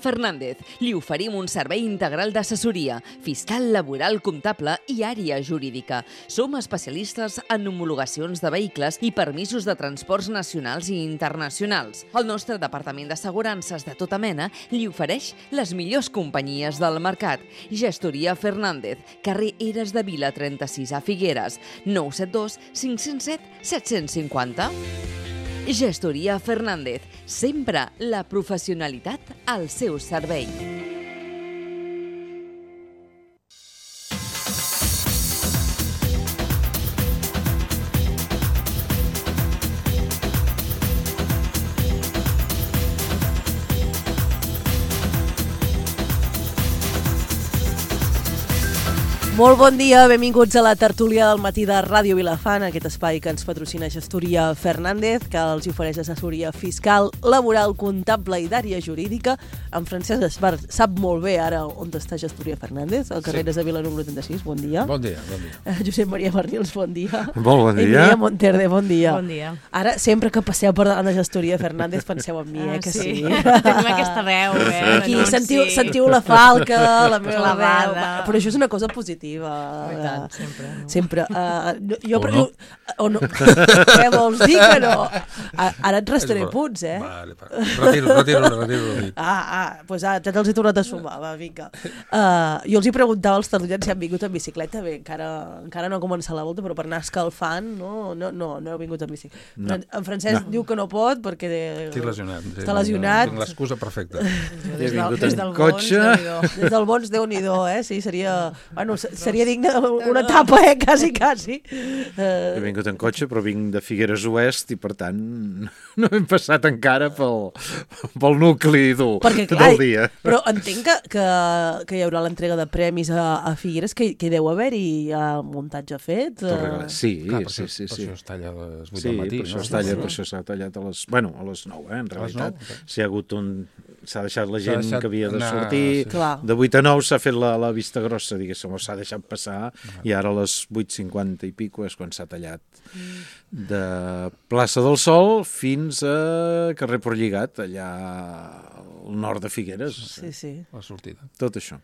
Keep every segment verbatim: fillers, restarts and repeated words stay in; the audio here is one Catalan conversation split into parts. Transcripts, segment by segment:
Fernández. Li oferim un servei integral d'assessoria, fiscal, laboral, comptable i àrea jurídica. Som especialistes en homologacions de vehicles i permisos de transports nacionals i internacionals. El nostre departament d'assegurances de tota mena li ofereix les millors companyies del mercat. Gestoria Fernández, carrer Eres de Vila trenta-sis a Figueres, nou set dos cinc zero set set cinc zero. Gestoria Fernández, sempre la professionalitat al seu servei. Molt bon dia, benvinguts a la tertúlia del matí de Ràdio Vilafant, aquest espai que ens patrocina Gestoria Fernández, que els ofereix assessoria fiscal, laboral, comptable i d'àrea jurídica. En Francesc Espart sap molt bé ara on està Gestoria Fernández, al carrer de Vila número trenta-sis. Bon dia. Bon dia, bon dia. Uh, Josep Maria Bernils, bon dia. Molt bon dia. Emilia Monterde, bon dia. Bon dia. Ara, sempre que passeu per davant de Gestoria Fernández, penseu en mi, eh, que sí. sí. Tenim aquesta veu, eh? Aquí sentiu, sentiu la falca, la meva Clavada. veu. Però això és una cosa positiva. I tant, sempre. No? Sempre. Uh, jo, O però, no. O no. Què vols dir que no? A- Ara et restaré És punts, eh? Vale, vale. Retiro, retiro, retiro. retiro. Ah, ah, doncs ah, ja te'ls he tornat a sumar, va, vinga. Uh, jo els hi preguntava als tertulians si han vingut en bicicleta. Bé, encara, encara no ha començat la volta, però per anar escalfant, no, no, no, no heu vingut en bicicleta. No. En Francesc No. diu que no pot perquè... Estic lesionat. Sí, Està lesionat. Tinc l'excusa perfecta. Des, del, vingut des en del cotxe. Bons, Déu-n'hi-do. Des del Bons, Déu-n'hi-do, eh? Sí, seria... Bueno, se- seria digne una etapa, eh? Quasi, quasi. He Uh, vingut en cotxe, però vinc de Figueres Oest i, per tant, no hem passat encara pel, pel nucli dur perquè, clar, del dia. però entenc que, que, que hi haurà l'entrega de premis a, a Figueres, que, que deu haver-hi ja muntatge fet. Torre- Uh, Sí, Clar, per sí, això, sí, per sí. això es talla a les vuit Sí, del matí. per això no? es talla, Sí. per això s'ha tallat a les... Bueno, a les nou, eh, en A les realitat. nou, ok. S'hi ha hagut un... S'ha deixat la S'ha gent deixat que havia de anar, sortir. sí. Clar. De vuit a nou s'ha fet la, la vista grossa, diguéssim, o s'ha deixat passar, i ara a les vuit cinquanta i pico és quan s'ha tallat. De plaça del Sol fins a carrer Portlligat, allà al nord de Figueres. sí, sí. La sortida. Tot això.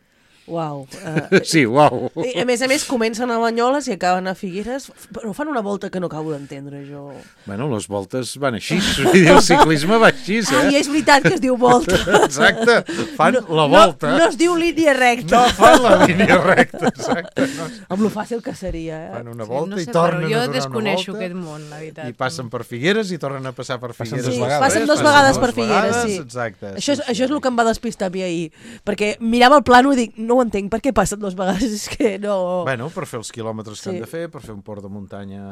Uau. Uh, Sí, uau. I, a més a més, comencen a Banyoles i acaben a Figueres, però fan una volta que no acabo d'entendre, jo. Bueno, les voltes van així, vull dir, el ciclisme va així, Ah, i eh? és veritat que es diu volta. Exacte, fan la No, volta. no es diu línia recta. No fan la línia recta, exacte. No. Amb lo fàcil que seria, eh? Fan una Sí, volta no i sé, tornen però jo a donar desconeixo una aquest volta. món, la veritat. I passen per Figueres i tornen a passar per Passen Figueres. dues Sí, vegades. passen dues Passen vegades dues per Figueres, vegades, sí. Exacte. Això és, sí, això és sí. el que em va despistar a mi ahir, perquè mirava el plano i dic, no ho entenc, per què passen dues vegades? És que no... Bueno, per fer els quilòmetres que Sí. han de fer, per fer un port de muntanya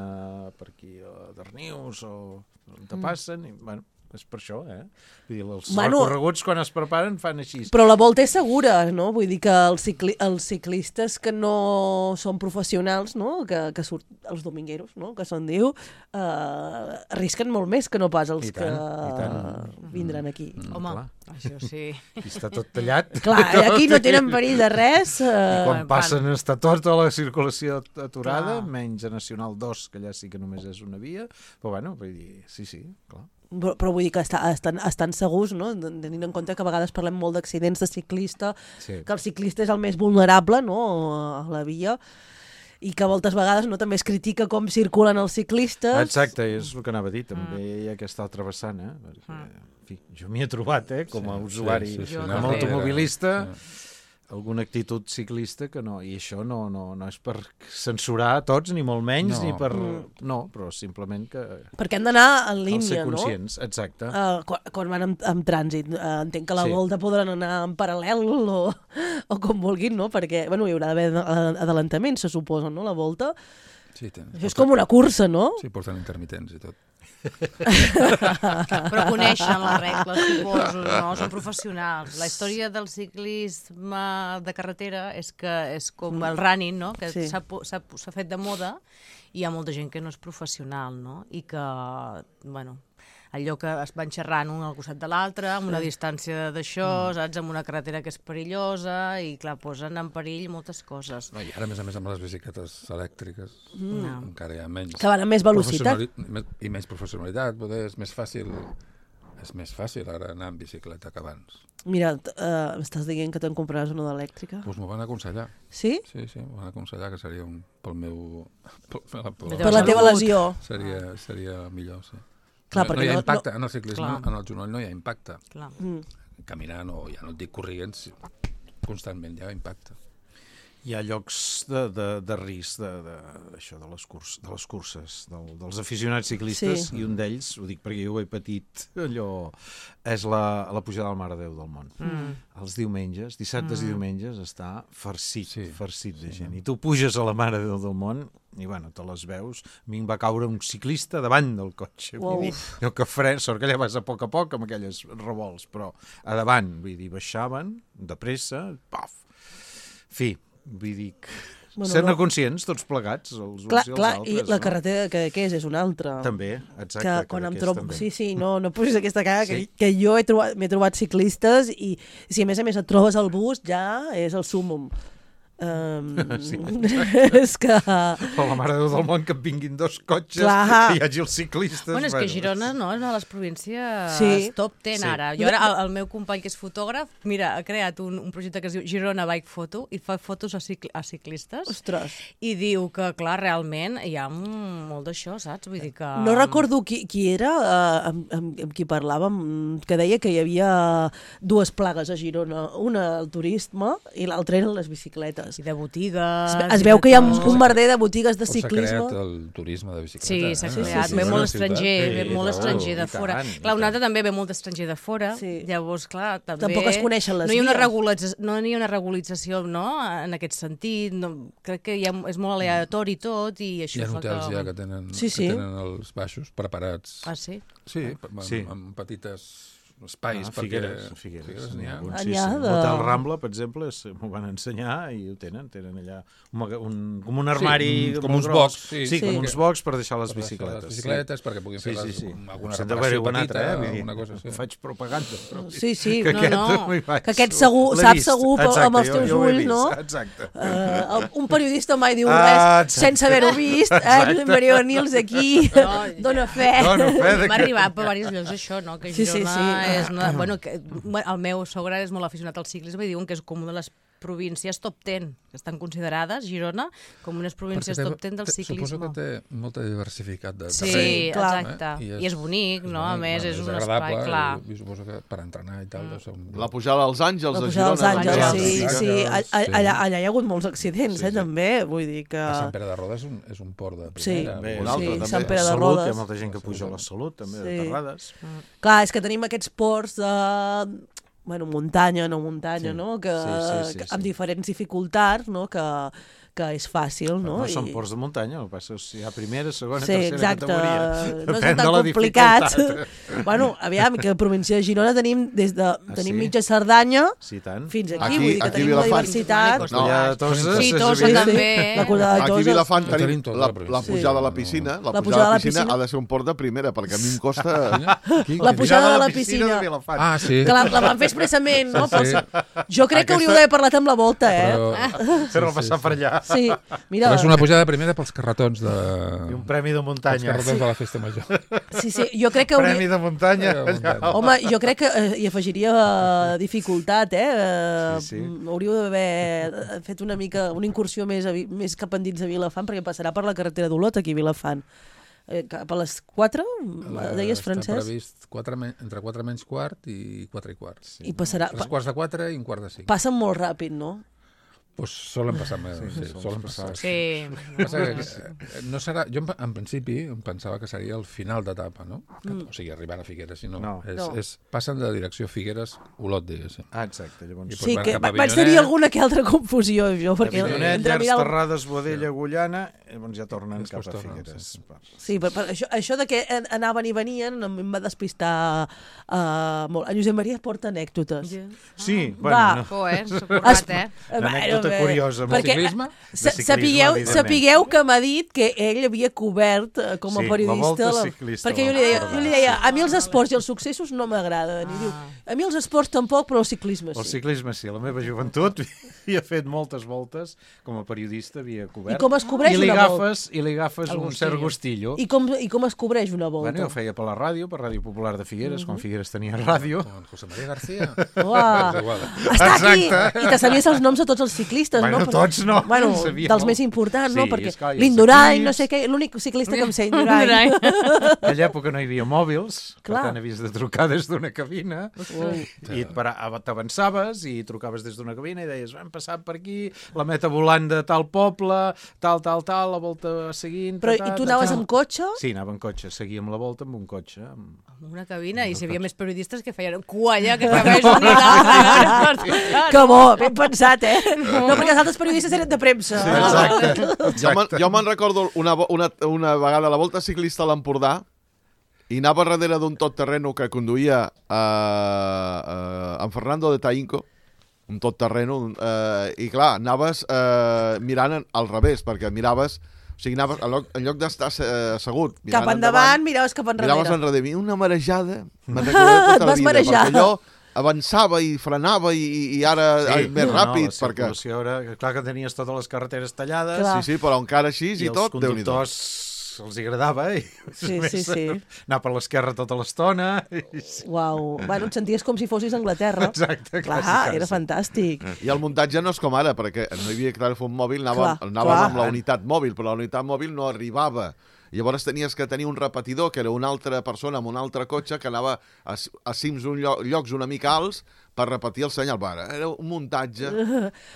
per aquí a Darnius o on te passen, i, bueno, és per això, eh? Vull dir, els Bueno. recorreguts quan es preparen fan així. Però la volta és segura, no? Vull dir que els, cicli els ciclistes que no són professionals, no? Que, que surt els domingueros, no? Que se'n diu, eh, arrisquen molt més que no pas els I tant, que i tant. vindran aquí. Mm, Home, clar. això sí. Aquí està tot tallat. Clar, aquí no tenen perill de res. I Eh, quan Van. passen està tota la circulació aturada, Clar. menys a Nacional dos, que allà sí que només és una via, però bueno, vull dir, sí, sí, clar. però, però vull dir que està, estan, estan segurs, no? Tenint en compte que a vegades parlem molt d'accidents de ciclista, Sí. que el ciclista és el més vulnerable, no?, a la via, i que moltes vegades no també es critica com circulen els ciclistes. Exacte, és el que anava a dir, també hi ha aquesta altra vessant, eh? Perquè, en fi, jo m'hi he trobat, eh, com a Sí, usuari, sí, sí, sí, com anem a darrere. automobilista, Sí. alguna actitud ciclista que no, i això no, no, no és per censurar a tots, ni molt menys, No. ni per... Mm. No, però simplement que Perquè han d'anar en cal ser línia, no? conscients, exacte. Uh, quan, quan van amb, amb trànsit. Uh, entenc que la Sí. volta podran anar en paral·lel o, o com vulguin, no? Perquè bueno, hi haurà d'haver adelantaments, se suposa, no?, la volta. Sí, ten- Això és com una cursa, no? Sí, porten intermitents i tot. Però coneixen les regles, suposo, no? Són professionals. La història del ciclisme de carretera és que és com el running, no? Que Sí. s'ha po- s'ha s'ha fet de moda i hi ha molta gent que no és professional, no? I que, bueno, allò que es van xerrant un al costat de l'altre, amb una distància d'això, saps? Amb una carretera que és perillosa i, clar, posen en perill moltes coses. No, I ara, a més a més, amb les bicicletes elèctriques, No. encara hi ha menys... Que van amb més velocitat. professionali- més- I més professionalitat, poder és més fàcil és més fàcil ara anar en bicicleta que abans. Mira, uh, m'estàs dient que te'n compraràs una d'elèctrica? Doncs m'ho van aconsellar. Sí? Sí, sí, m'ho van aconsellar que seria un, pel meu... Pel, pel, pel, Per la teva lesió. Seria, seria millor, sí. Clar, no, no hi ha no, impacte, no... en el ciclisme, Clar. en el genoll no hi ha impacte. Clar. Mm. Caminant o ja no et dic corrient, constantment hi ha impacte. Hi ha llocs de, de, de risc de, de, això, de, les curs, de les curses, del, dels aficionats ciclistes, Sí. i un d'ells, ho dic perquè jo ho he patit, allò, és la, la pujada al Mare de Déu del Mont. Mm. Els diumenges, dissabtes mm. i diumenges, està farcit, Sí. farcit de Sí, gent. sí. I tu puges a la Mare de Déu del Mont i, bueno, te les veus. A mi em va caure un ciclista davant del cotxe. Uau. Vull dir, jo que fre, sort que allà vas a poc a poc amb aquelles revolts, però a davant, vull dir, baixaven de pressa, paf. Fi, vull dir que... Bueno, Sent-ne no. conscients, tots plegats, els uns Clar, i els clar, altres. i la no? carretera que, que és, és una altra. També, exacte. que que quan em d'aquest trobo... també. Sí, sí, no, no pusis aquesta cara, Sí. que, que jo he trobat, m'he trobat ciclistes i si a més a més et trobes al bus ja és el súmum. Um, Sí, és que... O la Mare de Déu del Món, que et vinguin dos cotxes, Clar. que hi hagi els ciclistes... Bueno, és que Girona no, és una de les províncies Sí. top ten Sí. ara. Jo ara, el, el meu company que és fotògraf, mira, ha creat un, un projecte que es diu Girona Bike Photo i fa fotos a, cicl a ciclistes Ostres, i diu que, clar, realment hi ha mm, molt d'això, saps? Vull dir que... no recordo qui, qui era uh, amb, amb, amb qui parlàvem, que deia que hi havia dues plagues a Girona, una el turisme i l'altra eren les bicicletes. I de botigues... Es, ve- es i veu de que hi ha tot. un merder de botigues de O s'ha ciclisme. creat el turisme de bicicleta. Sí, eh? s'ha Sí, sí, creat, sí, ve sí. molt Una ciutat. estranger, Sí, ve molt i estranger de tant, fora. i Clar, una tant. altra també ve molt d'estranger de fora, Sí. llavors, clar, també... Tampoc es coneixen les no hi ha una vies. regularització, no hi ha una regularització, no?, en aquest sentit, no, crec que hi ha, és molt aleatori tot i això Hi ha fa hotels que... ja que tenen, Sí, sí. que tenen els baixos preparats. Ah, sí? Sí, amb, Sí. amb petites espais. Ah, perquè... Figueres, Figueres, Figueres n'hi ha n'hi un, ha. sí, N'hi ha sí. de- L'Hotel Rambla, per exemple, es- m'ho van ensenyar i ho tenen, tenen allà un, maga- un, com un armari Sí, com molt uns gros. box, sí. sí, com Sí. uns box per deixar les Per deixar bicicletes. Les bicicletes, perquè puguin fer sí, sí, les, sí. alguna S'ha d'haver-hi reparació un altre, petita, eh? Vull dir, alguna cosa així. faig propaganda. Però... Sí, sí, que no, aquest, no. m'hi vaig. Que aquest segur, L'he sap vist. segur per- Exacte, amb els jo- teus jo ho he ulls, vist, no? Exacte. Uh, un periodista mai diu Ah, res exacte. sense haver-ho vist. Eh? Exacte. Maria Nils aquí No, dona fe. Dona fe de M'ha que... arribat per diversos llocs això, no? Que Sí, sí, Girona sí. és una... Bueno, que, bueno, el meu sogre és molt aficionat al ciclisme i diuen que és com una de les províncies top ten, que estan considerades, Girona, com unes províncies Perquè té- top ten del té- ciclisme. Suposo que té molta diversificat de Sí, terreny. clar. exacte. Eh? I és bonic, no? A bonic, més, bueno, és un agradable, espai, clar. I, i suposo que per entrenar i tal... deu ser un... La pujada als Àngels La de pujada Girona. dels també. Àngels, Àngels, sí, Àngels, sí. sí. Allà, allà, allà hi ha hagut molts accidents, Sí, eh, sí. també. Vull dir que... A Sant Pere de Roda és un, és un port de Sí. primera. Bé, un Vull altre, dir, Sí, també. Sant Pere de Salut, hi Rodes. ha molta gent que puja a la Salut, també, Sí. de Terrades. Clar, és que tenim aquests ports de... Bueno, muntanya, no muntanya, Sí. no? Que, Sí, sí, sí, que, sí. amb diferents dificultats, no? Que, que és fàcil, no? No, no són I- ports de muntanya, el que passa és que hi ha primera, segona, Sí, tercera exacte. categoria. No és Depèn tan de la complicat. dificultat. Bueno, aviam, que a la província de Girona tenim des de tenim sí? mitja Cerdanya Sí, tant. fins aquí, Aquí- vull dir que aquí tenim una Vilafant. diversitat. No, Allà, Toses, Sí, és Tossa evident. també. La Cordada de Aquí a Toses. Vilafant Ho tenim tenim tot, la, la província. la pujada a la piscina. La, La pujada a la piscina ha de ser un port de primera, perquè a mi em costa... Aquí, La aquí. pujada de la de piscina. Vilafant. Ah, sí. Que la, la van fer expressament, no? Sí, sí. Però jo crec que Aquesta- hauríeu d'haver parlat amb la volta, eh? Però, Fer-lo passar per allà. Sí, mira, però és una pujada primera pels carretons de... I un premi de Els muntanya. carretons de la festa major. sí, sí, jo crec que Premi hauria... de muntanya. Premi de allà. muntanya. Home, jo crec que eh, hi afegiria eh, dificultat, eh? Eh, Sí, sí. mm, Hauríeu d'haver fet una mica, una incursió més, a, Vi- més cap endins de Vilafant, perquè passarà per la carretera d'Olot, aquí a Vilafant. Eh, cap a les quatre, deies, Està Francesc? previst quatre, men- entre quatre menys quart i quatre i quart. Sí. I passarà... Tres quarts de quatre i un quart de cinc. Passen molt ràpid, no? Pues solen passar més. Sí, sí, solen passar. Sí. Passa que, eh, no serà, jo en, en principi em pensava que seria el final d'etapa, no? Mm. O sigui, arribant a Figueres, sinó No. és, No. és, passen de direcció Figueres-Olot, diguéssim. Ah, exacte. Llavors, I Sí, van que cap a va- vaig tenir Avinyonet. alguna que altra confusió, jo, perquè Avinyonet, entre Llars, mirar... el- Terrades, Boadella, Agullana, llavors ja tornen Després cap a tornen, Figueres. sí, sí. Per- Sí, per, per això, això de que an- anaven i venien em em va despistar uh, molt. En Josep Maria porta anècdotes. Sí, Va. bueno, no. Joder, s'ha Es, currat, eh? bueno, nota també. curiosa. molt. Perquè, ciclisme? sa- De ciclisme, sapigueu, evidentment. sapigueu que m'ha dit que ell havia cobert eh, com a Sí, la periodista... Volta Ciclista perquè jo va li, deia, cobrar, jo li deia, sí. a mi els esports i els successos no m'agraden. I diu, a mi els esports tampoc, però el ciclisme El sí. ciclisme sí, a la meva joventut havia fet moltes voltes, com a periodista havia cobert. I com es cobreix I li una agafes, I li agafes El un cert gustillo. I com, I com es cobreix una volta? Bueno, jo feia per la ràdio, per Ràdio Popular de Figueres, quan Figueres tenia ràdio. Con José María García. Uah, És igual. està aquí! Exacte. I te sabies els noms de tots els ciclistes, Bueno, no? tots no, Bueno, en sabia dels molt. més importants, no? Sí, Perquè esclar, i els l'Indurain, equips. no sé què, l'únic ciclista que em sé, Indurain. Indurain. En aquella època no hi havia mòbils, Clar. per tant havies de trucar des d'una cabina i et para- t'avançaves i trucaves des d'una cabina i deies, hem passat per aquí, la meta volant de tal poble, tal, tal, tal, la volta seguint... Però ta, i tu ta, anaves ta. amb cotxe? Sí, anava en cotxe, seguíem la volta amb un cotxe. Amb... Amb una cabina, i si hi havia més periodistes que feien cua allà, que treballés un i l'altre. Que bo, ben pensat, eh? No, perquè els altres periodistes eren de premsa. Sí, exacte. Jo me'n jo me'n recordo una, vo- una, una vegada a la Volta Ciclista a l'Empordà i anava darrere d'un tot terreno que conduïa a, a, en Fernando de Tainco, un tot terreno, eh, i clar, anaves eh, mirant en- al revés, perquè miraves, o sigui, anaves, en lloc, en lloc d'estar eh, assegut, mirant Cap endavant, miraves cap enrere. miraves enrere. I una marejada, me'n recordo tota Et la vas vida, marejar. perquè allò avançava i frenava i, i ara sí, més ràpid, no, la perquè... circulació era... Clar que tenies totes les carreteres tallades Clar. Sí, sí, però encara així i, i els tot, Déu-n'hi-do. conductors els hi agradava i Sí, més, sí, sí. anar per l'esquerra tota l'estona. I... Uau, bueno, et senties com si fossis a Anglaterra. Exacte, Clar, quasi, quasi. era fantàstic. I el muntatge no és com ara, perquè no hi havia telèfon mòbil, anàvem, Clar, anàvem clar. amb la unitat mòbil, però la unitat mòbil no arribava. Llavors tenies que tenir un repetidor, que era una altra persona amb un altre cotxe, que anava a, a cims un lloc, llocs una mica alts per repetir el senyal. Ara, era un muntatge.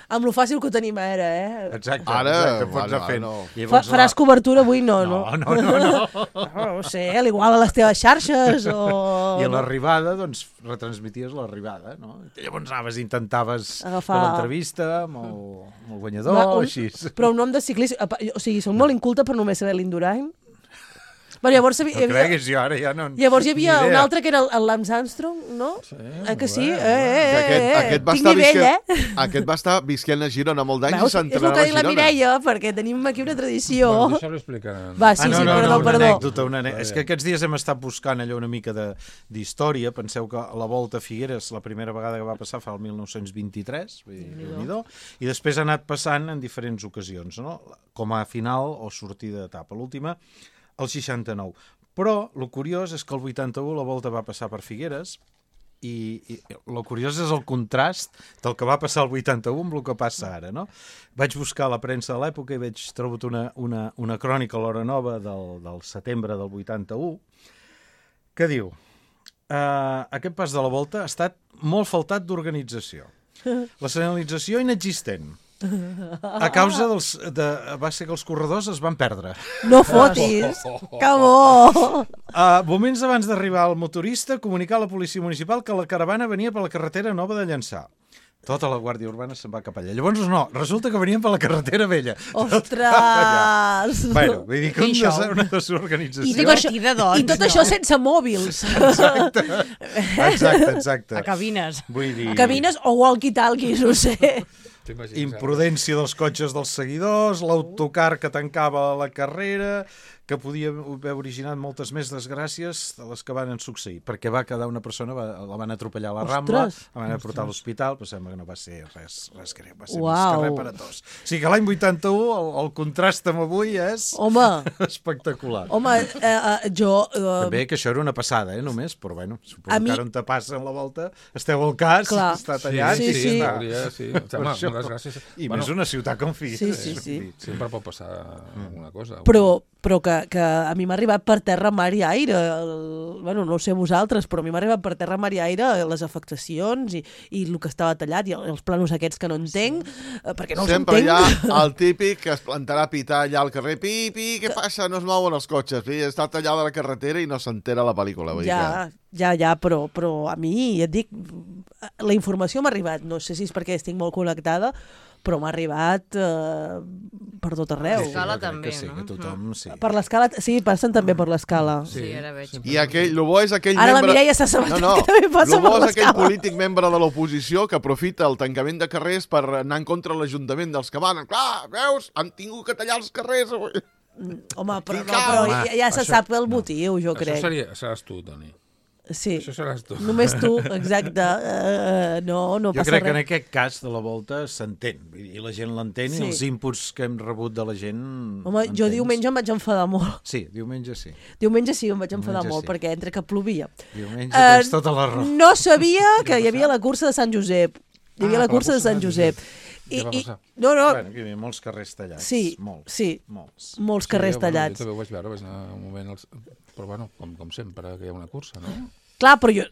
Amb lo fàcil que ho tenim ara, eh? Exacte, Ara, exacte, pots ara, anar fent. no. I Fa, llavors faràs la- cobertura avui? No, no. No, no, no, no. No, no sé, a l'igual a les teves xarxes o... I a l'arribada, doncs, retransmities l'arribada, no? I llavors anaves i intentaves Agafar- fer l'entrevista amb, el, amb el guanyador, Va, o un- així. Però un nom de ciclista... apa, O sigui, soc molt inculta per només saber l'Indurain. Bueno, llavors, hi No havia, creguis, jo ara ja no... llavors hi havia ni un idea. altre que era el, el Lance Armstrong, no? Sí, eh que sí? molt Eh, bé, eh, eh, Aquest, eh, aquest, va Tinc estar nivell, visquent, eh? aquest va estar visquent a Girona molt d'anys i Veus? És el s'entrenava que a ha dit la Girona. Mireia, perquè tenim aquí una tradició. Bueno, deixa-ho explicar. Va, sí, ah, no, sí, no, perdó, no, una perdó. anècdota, una anècdota. És que aquests dies hem estat buscant allò una mica de- d'història. Penseu que la Volta a Figueres, la primera vegada que va passar fa el mil nou-cents vint-i-tres, vull dir, Déu-n'hi-do, i després ha anat passant en diferents ocasions, no? Com a final o sortida d'etapa. L'última, el seixanta-nou. Però el curiós és que el vuitanta-u la Volta va passar per Figueres i, i el curiós és el contrast del que va passar el vuitanta-u amb el que passa ara, no? Vaig buscar la premsa de l'època i vaig trobar una, una, una crònica a l'Hora Nova del, del setembre del vuitanta-u que diu uh, aquest pas de la Volta ha estat molt faltat d'organització. La senyalització inexistent. A causa dels... De, va ser que els corredors es van perdre. No fotis, que bo! Uh, moments abans d'arribar el motorista, comunicar a la policia municipal que la caravana venia per la carretera nova de Llançà. Tota la Guàrdia Urbana se'n va cap allà. Llavors no, resulta que venien per la carretera vella. Ostres! Bueno, vull dir que un I des, això? una desorganització. I tot, això, Divertida, doncs, I tot no? això sense mòbils. Exacte, exacte, exacte. A cabines. Vull dir... Cabines o walkie-talkies, no sé. T'imagines, Imprudència dels cotxes dels seguidors, l'autocar que tancava la carrera, que podia haver originat moltes més desgràcies de les que van succeir, perquè va quedar una persona, va, la van atropellar a la Rambla, Ostres. la van a portar a l'hospital, però sembla que no va ser res, res greu, va ser Uau. més que res per a tots. O sigui que l'any vuitanta-u el, el contrast amb avui és Home, espectacular. home, eh, eh, jo... Eh, També que això era una passada, eh, només, però bueno, suposo A que mi- ara on te passa en la volta, esteu al cas, Clar. està Sí, tallat, Sí, sí, sí. en teoria, sí. Home, això. moltes gràcies. i Bueno, més una ciutat com Figueres. Sí, sí, sí. sempre pot passar alguna cosa. Però, però que, que a mi m'ha arribat per terra, mar i aire. El, bueno, no ho sé vosaltres, però a mi m'ha arribat per terra, mar i aire les afectacions i, i el que estava tallat i els planos aquests que no entenc, eh, perquè no els Sempre hi entenc. ha el típic que es plantarà a pitar allà al carrer. Pi, pi, què passa? No es mouen els cotxes. Pi, està tallada la carretera i no s'entera la pel·lícula. Vull dir Ja, ja, ja, però, però a mi, ja et dic, la informació m'ha arribat, no sé si és perquè estic molt connectada, però m'ha arribat eh, per tot arreu. Sí, l'escala jo crec també, que sí, no? que tothom, sí. Per l'escala, sí, passen també per l'escala. Sí, ara veig. I aquell, el bo és aquell Ara la membre... Mireia s'ha assabentat no, no. que també passa El bo per és aquell l'escala. polític membre de l'oposició que aprofita el tancament de carrers per anar en contra de l'Ajuntament dels que van. Clar, veus? Han tingut que tallar els carrers avui. Home, però, no, Ficar, però home, ja, ja se això- sap el motiu, jo crec. Això seria, seràs tu, Toni. Sí, Això seràs tu. només tu, exacte. Uh, no, no Jo passa crec que en res. aquest cas de la volta s'entén, i la gent l'entén, Sí. i els inputs que hem rebut de la gent... Home, jo entens? diumenge em vaig enfadar molt. Sí, diumenge sí. Diumenge sí, em vaig enfadar Diumenge molt, sí. perquè entre que plovia. Diumenge Eh, tens tota la raó. No sabia que hi havia la cursa de Sant Josep. Hi havia Ah, la cursa de Sant Josep. Què va I, i, passar? no, no, Bueno, aquí hi havia molts carrers tallats. sí, molts, sí, molts. molts carrers Sí, bueno, tallats. Jo també ho vaig veure, vaig anar un moment... Als... Però bueno, com, com sempre, que hi ha una cursa, no? Clar, però jo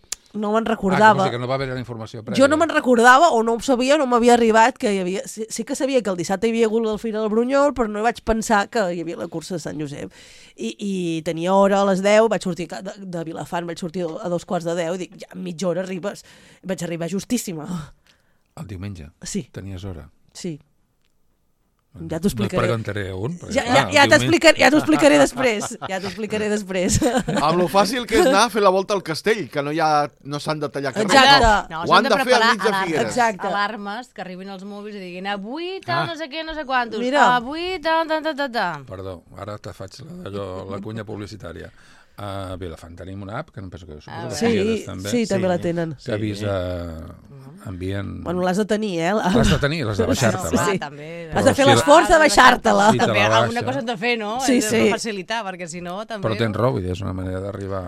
no me'n Ah, recordava. que, no, que no va haver la informació prèvia. Jo no me'n recordava o no ho sabia, no m'havia arribat que hi havia... Sí, sí que sabia que el dissabte hi havia hagut el Fira del Brunyol, però no vaig pensar que hi havia la cursa de Sant Josep. I, i tenia hora a les deu, vaig sortir de, de Vilafant, vaig sortir a dos quarts de deu, i dic, ja en mitja hora arribes. Vaig arribar justíssima. El diumenge. Sí, Tenies hora. sí. Ja No et t'ho preguntaré un. perquè, Ja, clar, ja, el ja diumenge- t'explicaré ja t'ho explicaré després. Ja t'ho explicaré després. Amb lo fàcil que és anar a fer la volta al castell, que no hi ha, no s'han de tallar carrers. Exacte. No. No, Ho han de fer preparar al mig de alarmes, Figueres. Exacte. alarmes que arribin als mòbils i diguin avui tal, Ah. no sé què, no sé quantos. Mira. Avui tal, tal, tal, tal, tal. Perdó, ara te faig la, allò, la cunya publicitària. A Vilafant tenim una app, que no penso que suposo Ah, que Sí, Figueres també, sí, també Sí. la tenen. que avisa, envien... Bueno, l'has de tenir, eh? L'has de tenir, l'has de Bueno, baixar-te. Sí, va. sí. també. Has de fer si la- l'esforç de baixar-te-la. Sí, te També la baixa. alguna cosa hem de fer, no? Sí, Hem de sí. facilitar, perquè si no també... Però tens raó, vull dir, és una manera d'arribar...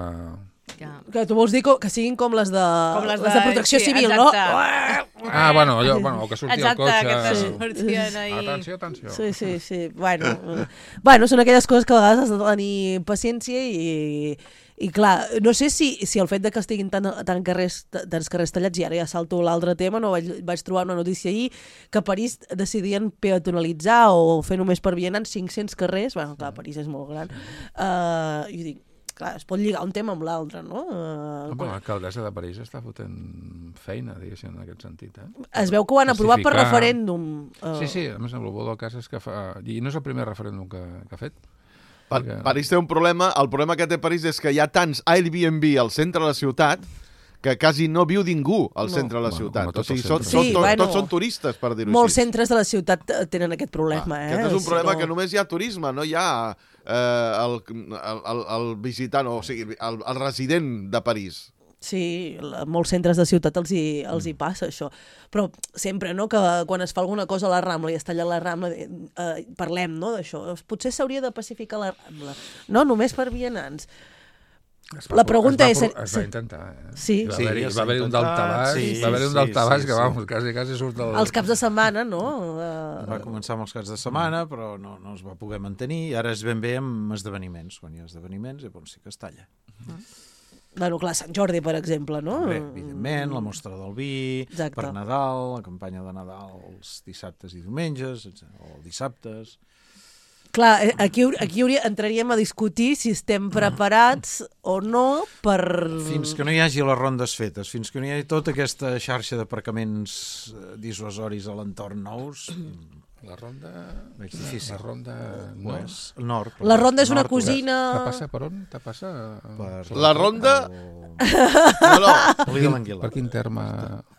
Ja. Que tu vols dir que, que siguin com les de, Com les les de- de protecció sí, civil, exacte. no? Ah, bueno, allò, bueno, o que surti Exacte, el que cotxe... te sortien ahí. Atenció, atenció. Sí, sí, sí. Bueno, eh, bueno, són aquelles coses que a vegades has de tenir paciència i, i clar, no sé si, si el fet de que estiguin tant, tant carrers, tants carrers tallats, i ara ja salto l'altre tema, no vaig, vaig trobar una notícia ahir que a París decidien peatonalitzar o fer només per vianants cinc-cents carrers. Bueno, clar, París és molt gran. Uh, I dic, clar, es pot lligar un tema amb l'altre, no? Uh, Home, l'alcaldessa de París està fotent feina, diguéssim, en aquest sentit. Eh? es veu que ho han aprovat per Justificar- referèndum. Uh, Sí, sí, a més, el bo del cas és que fa... I no és el primer referèndum que, que ha fet. Pa Perquè- París té un problema, el problema que té París és que hi ha tants Airbnb al centre de la ciutat que quasi no viu ningú al No. centre de la Bueno, ciutat. com a O tots sigui, els són, centres. són, Sí, to, bueno, tots són turistes, per dir-ho molts així. centres de la ciutat eh, tenen aquest problema, eh? Aquest és un Si problema no- que només hi ha turisme, no hi ha eh, el, el, el, el visitant, o sigui, el, el resident de París. Sí, a molts centres de ciutat els hi, els hi passa això. Però sempre, no?, que quan es fa alguna cosa a la Rambla i es talla la Rambla, eh, parlem, no?, d'això. Potser s'hauria de pacificar la Rambla. No, només per vianants. Es La pregunta es va, és- Es va intentar, eh? Sí. I va Sí, haver-hi es va va haver un intentar, daltabàs, sí, va haver un sí, daltabàs sí, que, sí. vamos, quasi, quasi surt del... Els caps de setmana, no? Va Eh, començar amb els caps de setmana, però no, no es va poder mantenir, i ara és ben bé amb esdeveniments. Quan hi ha esdeveniments, llavors sí que es talla. bueno, clar, Sant Jordi, per exemple, no? Bé, evidentment, la mostra del vi, Exacte. per Nadal, la campanya de Nadal els dissabtes i diumenges, o dissabtes... Clar, eh, aquí, aquí hauria, entraríem a discutir si estem preparats o no per... Fins que no hi hagi les rondes fetes, fins que no hi hagi tota aquesta xarxa d'aparcaments eh, dissuasoris a l'entorn nous, La ronda... veig difícil. La ronda... No. Pues, el nord. La ronda és una nord, cosina... Te passa per on? Te passa... Per... La ronda... O... No, no, Oli de l'Anguila. Per quin terme...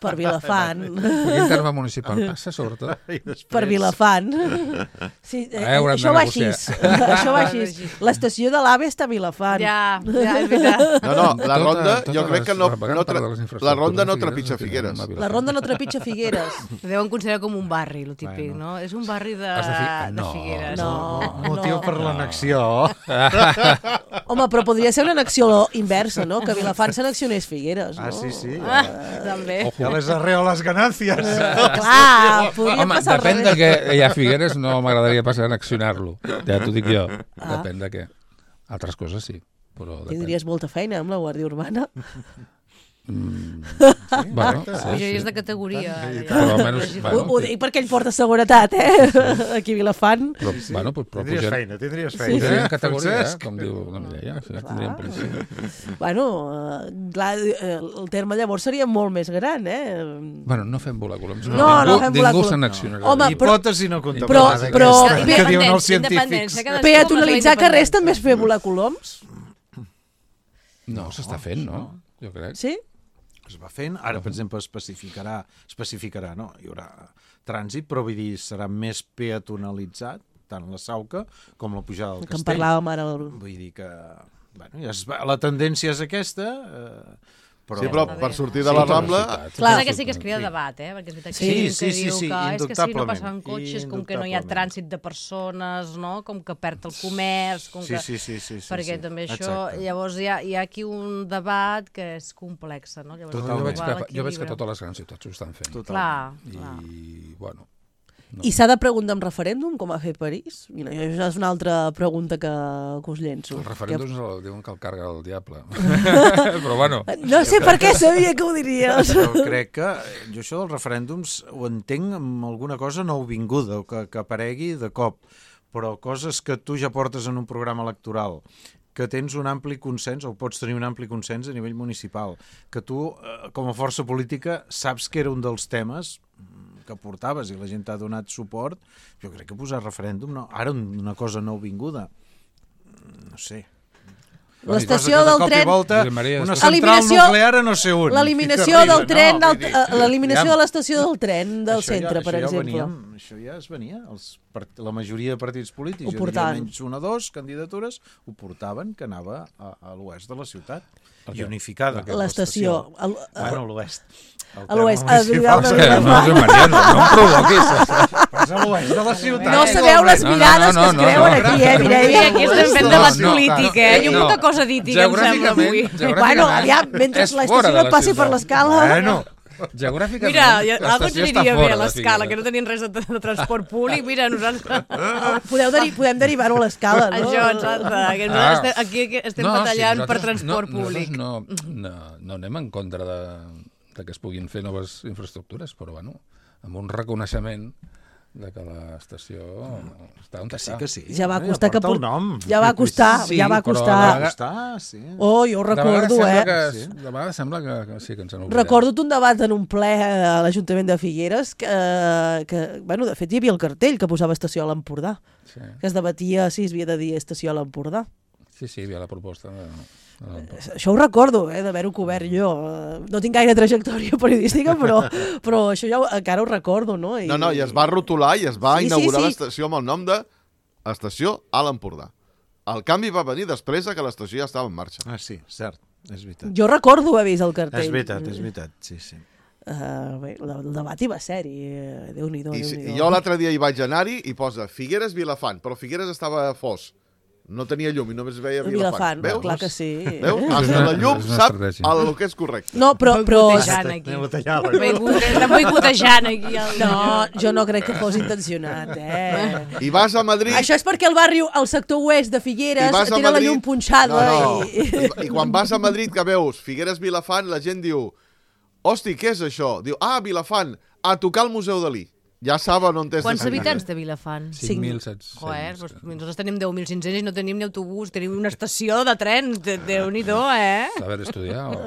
Per Vilafant. Per quin terme municipal passa, sobretot? I després... Per Vilafant. Sí, eh, Eh, haurem de això va així. negociar. Això va així. L'estació de l'AVE està a Vilafant. Ja, ja, és veritat. no, no, la Tota- ronda, totes jo crec les- que no, la vegada no tra parla de les infraestructures la ronda no de Figueres, trepitja no té Figueres. a Vilafant. La ronda no trepitja Figueres. Ho deuen considerar com un barri, el típic, Bueno. no? És un barri de, Has de fi- de no. Figueres. No, Motiu no. per l'annexió. Home, però podria ser una annexió inversa, no? Que Vilafant s'annexionés Figueres, no? Ah, sí, sí. Ah, també. Ja les arreo les ganàncies. Clar, podria Home, passar al depèn de revés. què hi ha a Figueres, no m'agradaria passar a accionar-lo. Ja t'ho dic jo. Ah. Depèn de què. Altres coses sí, però depèn. Tindries molta feina amb la Guàrdia Urbana. Mm, sí, bueno, sí, Això sí. és de categoria. Però almenys, Ho, bueno, ho dic perquè ell porta seguretat, eh? Aquí a Vilafant. però, bueno, però, però Tindries pugen, feina, tindries Sí, feina. pugen en eh, categoria, eh, Francesc? com diu la Mireia, si no tindríem policia. Bueno, eh, clar, eh, el terme llavors seria molt més gran, eh? Bueno, no fem volar coloms. No, no ningú, fem ningú volar se coloms. n'accionarà. Home, però- Hipòtesi no Però- contemplada. però- aquesta, que diuen els Independència, científics. cadascú Peatonalitzar amb la carrers també és fer volar coloms? No, s'està fent, no? Jo crec. Sí? Es va fent, ara, per exemple, especificarà, especificarà, no? Hi haurà trànsit, però vull dir, serà més peatonalitzat, tant la Sauca com la pujada del Que en Castell. parlàvem ara. El... Vull dir que, bueno, ja es va, la tendència és aquesta, eh, però... Sí, però per sortir de la Sí, Rambla... velocitat. Clar. Clar, que sí que es crea debat, eh? Perquè és veritat que Sí, hi ha gent sí, que sí, diu sí, que és que si no indubtablement. passen cotxes, com que no hi ha Indubtablement. trànsit de persones, no? Com que perd el comerç, com Sí, que... sí, sí, sí, sí, perquè sí. també això, Exacte. llavors hi ha, hi ha aquí un debat que és complex, no? Llavors, Jo Totalment. veig, trobar que, jo veig que l'equilibri. totes les grans ciutats ho estan fent. Clar, I, clar. bueno, no. I s'ha de preguntar en referèndum, com ha fet París? Mira, això és una altra pregunta que, que us llenço. Els referèndums el, diuen que el carga el diable. Però bueno, No sé per què sabia que ho diries. Però crec que jo això dels referèndums ho entenc amb alguna cosa nouvinguda, o que, que aparegui de cop, però coses que tu ja portes en un programa electoral, que tens un ampli consens, o pots tenir un ampli consens a nivell municipal, que tu, eh, com a força política, saps que era un dels temes que portaves i la gent t'ha donat suport, jo crec que posar referèndum, no. Ara una cosa nouvinguda, no sé. L'estació Cosa que de del cop i tren... volta, Josep Maria, una després- central Eliminació- nuclear a no sé on. L'eliminació I del que tren, no, del, vull dir, eh, l'eliminació aviam. de l'estació del tren del Això centre, ja, per això ja exemple. Veníem, això ja es venia. Els part... La majoria de partits polítics, Ho jo diria portaven. menys una o dos candidatures, ho portaven, que anava a, a l'oest de la ciutat. I unificada. L'estació. El- Bueno, a l'oest. El A l'oest, terme a municipal Villar de és que que no, Josep Maria, no, no em provoquis. és a l'oest de la ciutat. No sabeu les No, no, mirades no, que es no, creuen no. aquí, eh, Mira, Mireia? aquí estem fent No, debat no, polític, no, eh? Hi ha no. molta cosa dítica, em sembla, avui. Geogràficament, Bueno, geogràficament, aviam, mentre és fora l'estació de no passi per ciutat. l'escala... Bueno, Geogràficament, Mira, ja, algo ens l'estació està aniria bé fora a de l'escala, que Figueres. no tenien res de, de transport públic. Mira, nosaltres... Podeu deri podem derivar-ho a l'escala, no? Això, exacte. Que nosaltres Ah. estem, aquí estem No, batallant sí, per nosaltres transport no, públic. nosaltres No, no, no anem en contra de, de que es puguin fer noves infraestructures, però bueno, amb un reconeixement de que l'estació està on que sí, està. que sí. Ja va Bueno, costar que porta el por- nom. Ja va costar, Sí, ja va però costar. de Va vegades- costar, sí. Oh, jo ho De vegades recordo, sembla eh? Que, Sí. de vegades sembla que, que sí, que ens han oblidat. Recordo un debat en un ple a l'Ajuntament de Figueres que, que, bueno, de fet hi havia el cartell que posava estació a l'Empordà, Sí, que es debatia si es havia de dir estació a l'Empordà. sí, sí, hi havia la proposta. De, de Això ho recordo, eh, d'haver-ho cobert jo. Eh, No tinc gaire trajectòria periodística, però, però això ja ho, encara ho recordo, no? I, No, no, i es va rotular i es va Sí, sí, inaugurar sí. l'estació amb el nom de Estació a l'Empordà. El canvi va venir després de que l'estació ja estava en marxa. Ah, sí, cert, és veritat. Jo recordo haver vist el cartell. És veritat, és veritat, sí, sí. Uh, bé, el el debat hi va ser-hi. eh, Déu-n'hi-do, I, si- Déu-n'hi-do. i jo l'altre dia hi vaig anar-hi i posa Figueres Vilafant, però Figueres estava fos. No tenia llum i només veia Vilafant. Vilafant, Veus? clar que sí. Veus? És Hasta una- la llum és una sap estratègia. el que és correcte. No, però... però Boicotejant aquí. Anem a tallar la Boicot- Estan boicotejant aquí. El... no, jo no crec que fos intencionat, eh? I vas a Madrid... Això és perquè el barri, el sector oest de Figueres, i vas a té la Madrid- llum punxada no, no. i... I... I quan vas a Madrid que veus Figueres Vilafant, la gent diu hosti, què és això? Diu, ah, Vilafant, a tocar al Museu Dalí. Ja saben on és. Quants de habitants té Vilafant? cinc mil set-cents. Joder, doncs nosaltres tenim deu mil cinc-cents i no tenim ni autobús, tenim una estació de tren, de- Déu-n'hi-do, eh? Saber estudiar. O...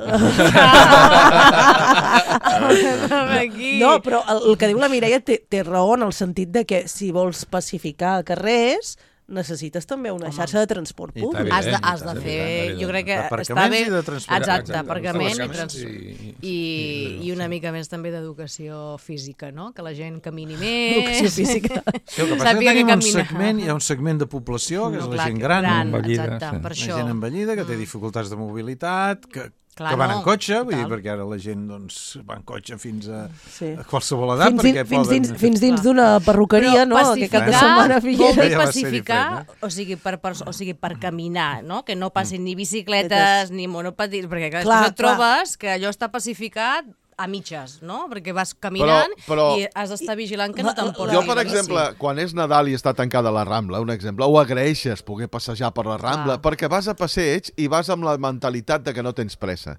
Aquí. No, però el, el que diu la Mireia té, té raó en el sentit de que si vols pacificar carrers necessites també una xarxa de transport I públic. tant. Has de, Evident, has de evident, fer, evident. jo crec que D'aparcaments està bé... i de transport. Exacte, Exacte, aparcament i, aparcaments trans... i- I, i- i una mica més també d'educació física, no? Que la gent camini més... Educació física. Sí, el que passa és que Sàpiga tenim que un camina. segment, hi ha un segment de població, que és No, la clar, gent que gran, gran, envellida, exacte, sí. per la això. gent envellida, que té dificultats de mobilitat, que, Clar, que van no, en cotxe, vull dir, total. perquè ara la gent doncs, va en cotxe fins a, Sí. a qualsevol edat, Fins, perquè dins, fins, poden... dins, fins dins Clar. d'una perruqueria, no? Que cap de setmana a vol Figueres. dir Ja va ser pacificar, diferent, o sigui, per, per, o sigui, per caminar, no? Que no passin ni bicicletes ni monopatins, perquè clar, Clar, després et trobes que allò està pacificat a mitges, no? Perquè vas caminant Però- però- i has d'estar vigilant que no La- t'emportis. Jo, per la exemple, bici. quan és Nadal i està tancada la Rambla, un exemple, ho agraeixes poder passejar per la Rambla, Clar. perquè vas a passeig i vas amb la mentalitat de que no tens pressa.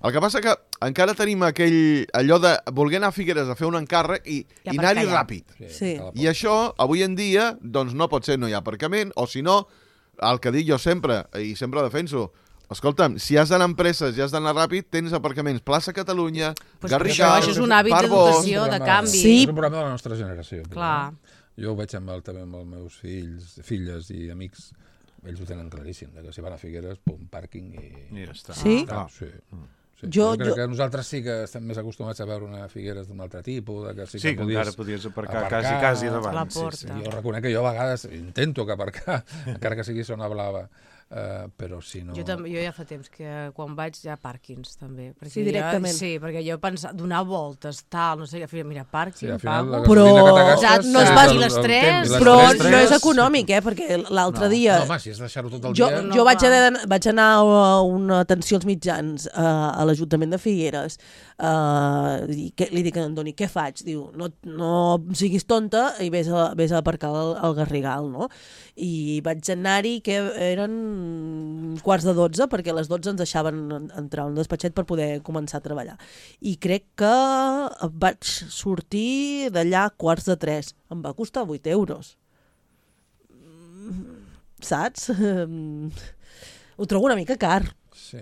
El que passa que encara tenim aquell, allò de voler anar a Figueres a fer un encàrrec i, I i anar-hi aparcar ràpid. Sí. I això, avui en dia, doncs no pot ser, no hi ha aparcament, o si no, el que dic jo sempre, i sempre defenso, escolta'm, si has d'anar a empreses i has d'anar ràpid, tens aparcaments Plaça Catalunya, Pues Garrigal, això és un hàbit d'educació, de canvi. Sí. És un problema de la nostra generació. Clar. Jo ho veig amb el, també amb els meus fills, filles i amics. Ells ho tenen claríssim, que si van a Figueres, pum, pàrquing i... I ja està. Sí? Ah, sí. Sí. Jo- Jo crec jo- que nosaltres sí que estem més acostumats a veure una Figueres d'un altre tipus, de que sí que, Sí, que podies encara podies aparcar, aparcar quasi, quasi a davant. la sí, porta. sí. Jo reconec que jo a vegades intento que aparcar, encara que sigui zona blava, uh, però si no... Jo, també, jo ja fa temps que quan vaig hi ha pàrquings, també. Perquè Sí, directament. Jo, sí, perquè jo pensava, donar voltes, tal, no sé, al final, mira, Sí, pàrquing, al final la pago... Però- gasolina que t'agastes... Exacte, no es és va- el- I les el tres, temps, i les Però tres, no és tres. econòmic, eh? Perquè l'altre No, dia... no, home, si és deixar-ho tot el Jo, dia... no, jo vaig, clar. anar, vaig anar a una atenció als mitjans a, a l'Ajuntament de Figueres uh, i que, li dic a en Doni, què faig? Diu, no, no siguis tonta i vés a, vés a aparcar al, al Garrigal, no? I vaig anar-hi, que eren quarts de dotze, perquè a les dotze ens deixaven entrar a un despatxet per poder començar a treballar. I crec que vaig sortir d'allà quarts de tres. Em va costar vuit euros. Saps? Ho trobo una mica car. Sí.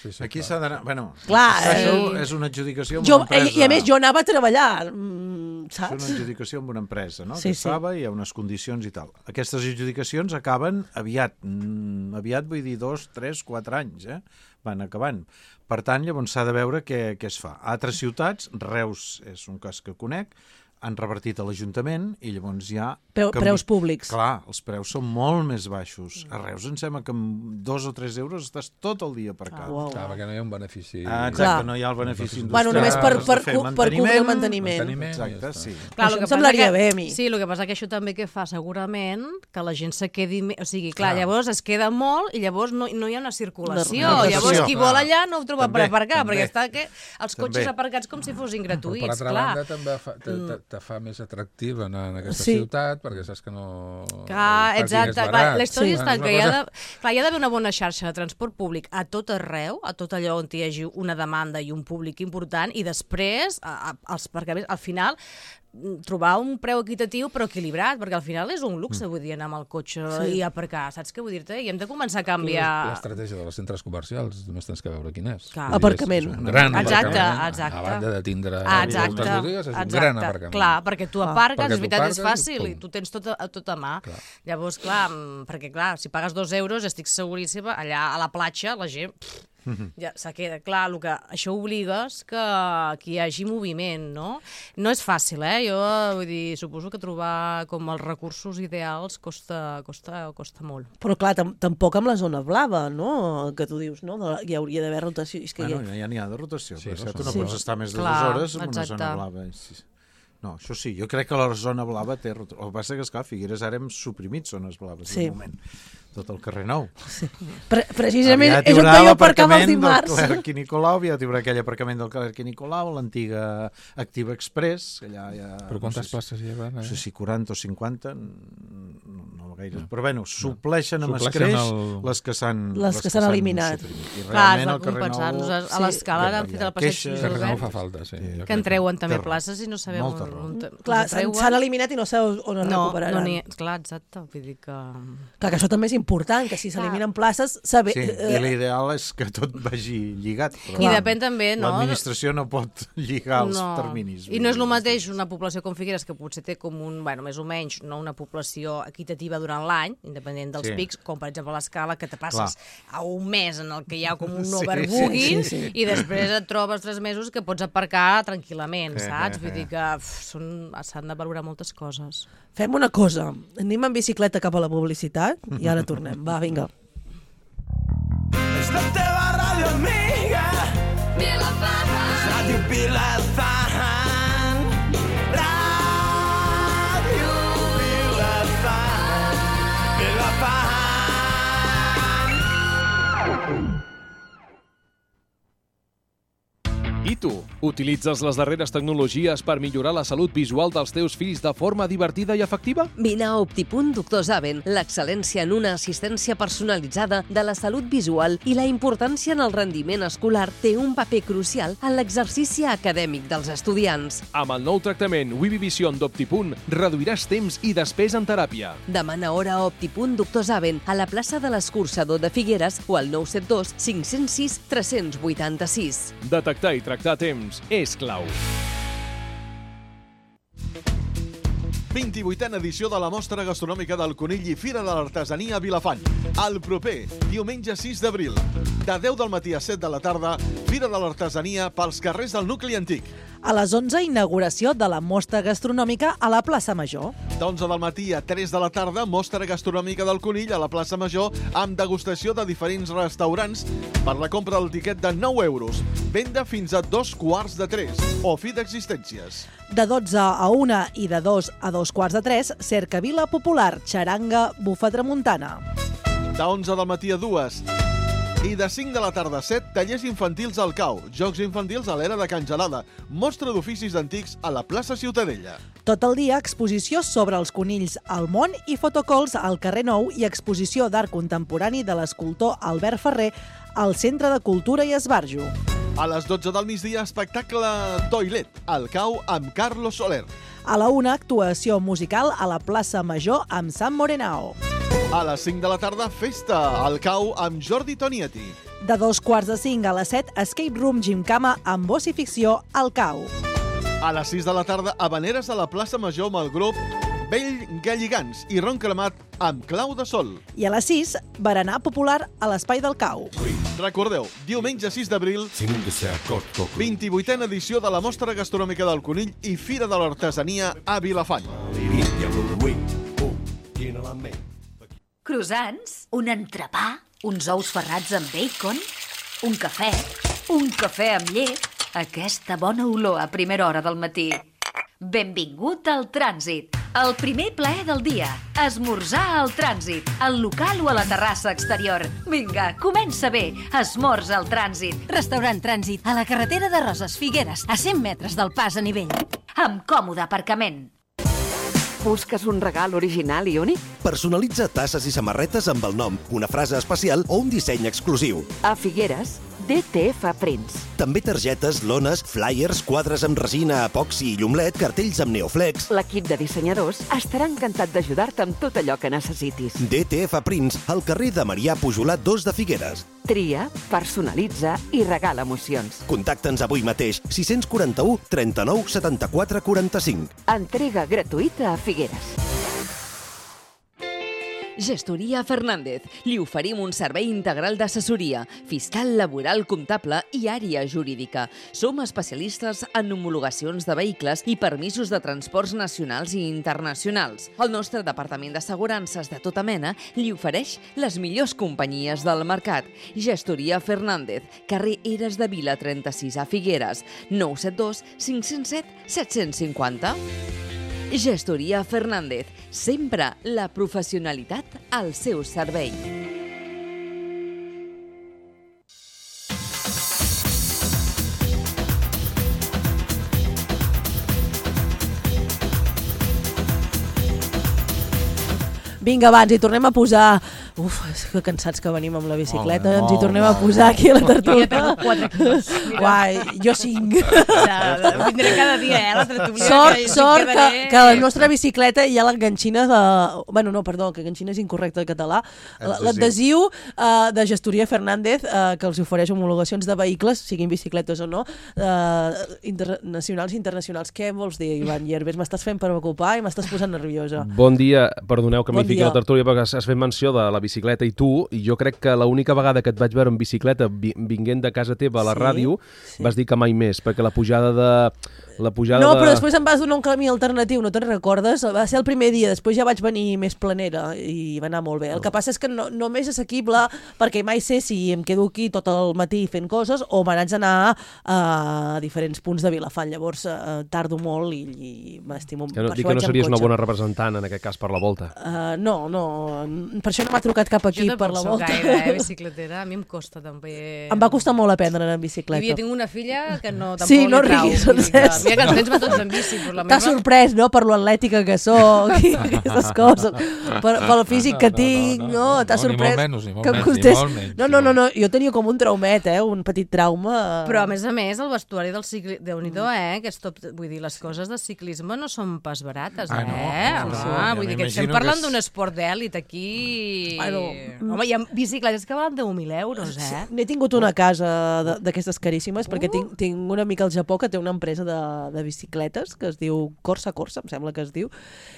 Sí, sí, Aquí clar. s'ha d'anar... Bueno, Clar, això eh, és una adjudicació amb Jo, una empresa. i, I a més jo anava a treballar, mm, És saps? una adjudicació amb una empresa, no? Sí, que sí. estava, hi ha unes condicions i tal. Aquestes adjudicacions acaben aviat. Mm, aviat vull dir dos, tres, quatre anys, eh? Van acabant. Per tant, llavors s'ha de veure què, què es fa. A altres ciutats, Reus és un cas que conec, han revertit a l'Ajuntament i llavors hi ha... Preu, canvi- preus públics. Clar, els preus són molt més baixos. A Reus em sembla que amb dos o tres euros estàs tot el dia aparcat. Ah, uau. Clar, perquè no hi ha un benefici... Ah, Clar. exacte, no hi ha el benefici industrial. Bueno, només per, has de per, fer cu- per cobrir el manteniment. manteniment. Exacte, Ja està. sí. Clar, Això el que em semblaria passa bé, que, a mi. Sí, el que passa que això també que fa segurament que la gent se quedi... Me... O sigui, clar, Clar. llavors es queda molt i llavors no, no hi ha una circulació. Una rotació. Llavors qui vol Clar. allà no ho troba També, per aparcar, també. perquè està que els cotxes També. aparcats com si fossin Però gratuïts, per altra clar. banda també fa, te, te, te fa més atractiu anar en aquesta Sí. ciutat perquè saps que no... Clar, el pàrquing exacte. és Clar, barat. la història Sí. està És que una hi ha cosa- de, clar, hi ha d'haver una bona xarxa de transport públic a tot arreu, a tot allò on hi hagi una demanda i un públic important, i després, a, a, els aparcaments, al final, mm, trobar un preu equitatiu però equilibrat, perquè al final és un luxe, vull dir, anar amb el cotxe Sí. i aparcar, saps què vull dir-te? I hem de començar a Tu, canviar... L'estratègia dels centres comercials només tens que veure quin és. Clar. Vull dir, Aparcament. És, és un gran Exacte, aparcament. exacte. A banda de tindre Ah, moltes exacte, botigues, és un exacte. gran aparcament. Clar, perquè tu Ah. aparques, Perquè és tu veritat, és aparques i fàcil, i pum. tu tens tot a, a, tot a mà. Clar. Llavors, clar, mm, perquè clar, si pagues dos euros, estic seguríssima, allà a la platja, la gent... Pff, ja se queda clar, el que això obligues que, que hi hagi moviment, no? No és fàcil, eh? Jo vull dir, suposo que trobar com els recursos ideals costa, costa, costa molt. Però clar, tam tampoc amb la zona blava, no? Que tu dius, no? De- Hi hauria d'haver rotació. És que Bueno, hi ha... ja n'hi ha de rotació, Sí, sí, però no tu són no Sí. pots estar més de Clar, dues hores en una exacte. zona blava. Sí. No, això sí, jo crec que la zona blava té... rot- El que passa que, esclar, a Figueres ara hem suprimit zones blaves, Sí. de moment. Tot el carrer Nou. Pre Precisament Aviat hi és on haurà jo aparcava els l'aparcament dimarts. del Clerc i Nicolau, aviat hi haurà aquell aparcament del Clerc i Nicolau, l'antiga Activa Express, que allà hi ha... Però quantes places hi ha? No Eh? sé si quaranta o cinquanta, no, no gaire. Però bueno, supleixen amb Supleixen escreix el- les que s'han Les que s'han eliminat. suprimit. I Clar, es realment va el carrer compensar. Nou... Nosaltres a Sí. l'escala Ja, han ja, fet el passeig queixes. Jesús Carrer Nou Obert, fa falta, sí. Sí. jo que crec en treuen també Té raó. places i no sabem Molta on, raó. on, on Clar, on s'han treuen. s'han eliminat i no sabeu on es No, recuperaran. no n'hi... Clar, exacte. Vull dir que... Clar, que això també és important, que si s'eliminen places, saber... Sí, eh, i l'ideal és que tot vagi lligat. Però I depèn també, no? l'administració no pot lligar els No. terminis. I no és el mateix una població com Figueres, que potser té com un, bueno, més o menys, no una població equitativa durant l'any, independent dels Sí. pics, com per exemple l'Escala, que te passes Clar. a un mes en el que hi ha com un Sí, overbooking, sí, sí. i després et trobes tres mesos que pots aparcar tranquil·lament, Eh, saps? eh, Vull eh. dir que uf, són- s'han de valorar moltes coses. Fem una cosa, anem en bicicleta cap a la publicitat i ara tornem. Va, vinga. És la teva ràdio amiga. Vilafant. Ràdio Vilafant. Ràdio Vilafant. Vilafant. I tu, Utilitzes les darreres tecnologies per millorar la salut visual dels teus fills de forma divertida i efectiva? Vine a Optipunt Doctor Zaven, l'excel·lència en una assistència personalitzada de la salut visual i la importància en el rendiment escolar té un paper crucial en l'exercici acadèmic dels estudiants. Amb el nou tractament Wivivision d'Optipunt reduiràs temps i despesa en teràpia. Demana hora a Optipunt Doctor Zaven a la plaça de l'Escurçador de Figueres o al nou set dos cinc zero sis tres vuit sis. Detectar i tractar a temps és clau. vint-i-vuitena edició de la Mostra Gastronòmica del Conill i Fira de l'Artesania a Vilafant. El proper, diumenge sis d'abril, de deu del matí a set de la tarda, Fira de l'Artesania pels carrers del nucli antic. A les onze, inauguració de la Mostra Gastronòmica a la plaça Major. D'onze del matí a tres de la tarda, Mostra Gastronòmica del Conill a la plaça Major amb degustació de diferents restaurants per la compra del tiquet de nou euros. Venda fins a dos quarts de tres o fi d'existències. De dotze a una i de dos a dos quarts de tres, cercavila popular, xaranga, bufa tramuntana. De onze del matí a dues i de cinc de la tarda a set, tallers infantils al Cau, jocs infantils a l'era de Can Gelada, mostra d'oficis antics a la plaça Ciutadella. Tot el dia, exposició sobre els conills al món i fotocols al carrer Nou i exposició d'art contemporani de l'escultor Albert Ferrer al Centre de Cultura i Esbarjo. A les dotze del migdia, espectacle Toilet, al Cau amb Carlos Soler. A la una, actuació musical a la plaça Major amb Sam Morenao. A les cinc de la tarda, festa al Cau amb Jordi Tonietti. De dos quarts de cinc a les set, Escape Room Gimcama amb voz i ficció al Cau. A les sis de la tarda, habaneres a la plaça Major amb el grup Vell Galligans i Ron Cremat amb Clau de Sol. I a les sis, berenar popular a l'Espai del Cau. Recordeu, diumenge sis d'abril, vint-i-vuitena edició de la Mostra Gastronòmica del Conill i Fira de l'Artesania a Vilafant. Croissants, un entrepà, uns ous ferrats amb bacon, un cafè, un cafè amb llet, aquesta bona olor a primera hora del matí. Benvingut al Trànsit, el primer plaer del dia, esmorzar al Trànsit, al local o a la terrassa exterior. Vinga, comença bé, esmorza al Trànsit. Restaurant Trànsit, a la carretera de Roses, Figueres, a cent metres del pas a nivell. Amb còmode aparcament. Busques un regal original i únic? Personalitza tasses i samarretes amb el nom, una frase especial o un disseny exclusiu. A Figueres, D T F Prints. També targetes, lones, flyers, quadres amb resina, epoxi i llumlet, cartells amb neoflex. L'equip de dissenyadors estarà encantat d'ajudar-te amb tot allò que necessitis. D T F Prints, al carrer de Marià Pujolat dos de Figueres. Tria, personalitza i regala emocions. Contacta'ns avui mateix, sis quatre u, trenta-nou, setanta-quatre, quaranta-cinc. Entrega gratuïta a Figueres. Gestoria Fernández. Li oferim un servei integral d'assessoria, fiscal, laboral, comptable i àrea jurídica. Som especialistes en homologacions de vehicles i permisos de transports nacionals i internacionals. El nostre departament d'assegurances de tota mena li ofereix les millors companyies del mercat. Gestoria Fernández, carrer Eres de Vila trenta-sis a Figueres, nou set dos cinc zero set set cinc zero. Gestoria Fernández, sempre la professionalitat al seu servei. Vinga, va, ens hi tornem a posar... Uf, que cansats que venim amb la bicicleta. Molt bé, ens hi tornem molt a posar aquí a la tertúlia. Ja he perdut quatre quilos. Uai, jo cinc. Vindré cada dia, eh, a la tertúlia. Sort, que sort que, quedaré... que la nostra bicicleta hi ha l'enganxina de... Bueno, no, perdó, que enganxina és incorrecte en català. L'adhesiu uh, de Gestoria Fernández, uh, que els ofereix homologacions de vehicles, siguin bicicletes o no, uh, internacionals i internacionals. Què vols dir, Ivan Llerbes? M'estàs fent preocupar i m'estàs posant nerviosa. Bon dia, perdoneu que Bon m'hi fiqui dia. a la tertúlia perquè has fet menció de la bicicleta i tu, i jo crec que l'única vegada que et vaig veure en bicicleta vi- vinguent de casa teva a la Sí, ràdio sí. vas dir que mai més, perquè la pujada de... La pujada No, de... però després em vas donar un camí alternatiu, no te'n recordes? Va ser el primer dia, després ja vaig venir més planera i va anar molt bé. El que passa és que no, no m'és assequible perquè mai sé si em quedo aquí tot el matí fent coses o me n'haig d'anar a diferents punts de Vilafant. Llavors eh, tardo molt i, i m'estimo. Que no, per dic això que no vaig amb series una cotxe. bona representant en aquest cas per la volta. Uh, no, no, per això no m'ha trucat trucat cap aquí per la volta. Jo tampoc soc gaire, eh, bicicletera. A mi em costa també... Em va costar molt aprendre en bicicleta. I havia tingut una filla que no, tampoc sí, no li trau. riguis, Mira que ens tens va tots en bici, però la T'ha meva... sorprès, no?, per lo atlètica que soc i aquestes coses. Per, pel físic que tinc, no? no, no T'ha no, sorprès ni molt menys, ni molt que em menys, costés... ni molt menys. No, no, no, no, jo tenia com un traumet, eh? Un petit trauma. Però, a més a més, el vestuari del ciclisme... Déu-n'hi-do, eh? Que és tot... Vull dir, les coses de ciclisme no són pas barates, eh? Ah, no? Home, Sí, sí. vull dir Ja que estem m'imagino parlant que és- d'un esport d'èlit aquí... Bueno, Home, hi ha bicicletes que valen deu mil euros, eh? N'he tingut una casa de- d'aquestes caríssimes, perquè tinc, tinc un amic al Japó que té una empresa de, de bicicletes que es diu Corsa Corsa, em sembla que es diu,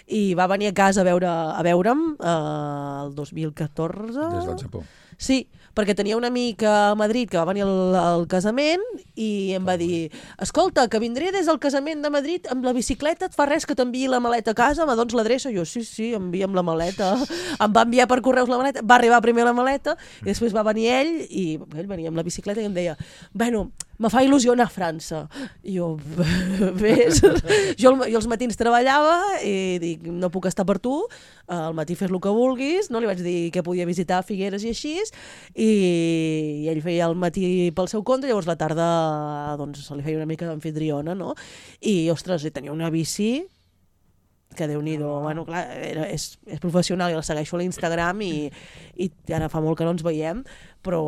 i va venir a casa a veure a veure'm eh, el dos mil catorze. Des del Japó. Sí, perquè tenia un amic a Madrid que va venir al, al casament i em va dir, escolta, que vindré des del casament de Madrid amb la bicicleta, et fa res que t'enviï la maleta a casa, me dones l'adreça? Jo, sí, sí, envia'm la maleta. Em va enviar per correus la maleta, va arribar primer la maleta i després va venir ell i ell venia amb la bicicleta i em deia, bueno, me fa il·lusió anar a França. I jo, ves, jo, jo els matins treballava i dic, no puc estar per tu, al matí fes el que vulguis, no li vaig dir que podia visitar Figueres i així, i, i ell feia el matí pel seu compte, llavors la tarda doncs, se li feia una mica d'amfitriona, no? I, ostres, i tenia una bici que Déu-n'hi-do, bueno, clar, era, és, és professional, i la segueixo a l'Instagram i, i ara fa molt que no ens veiem, però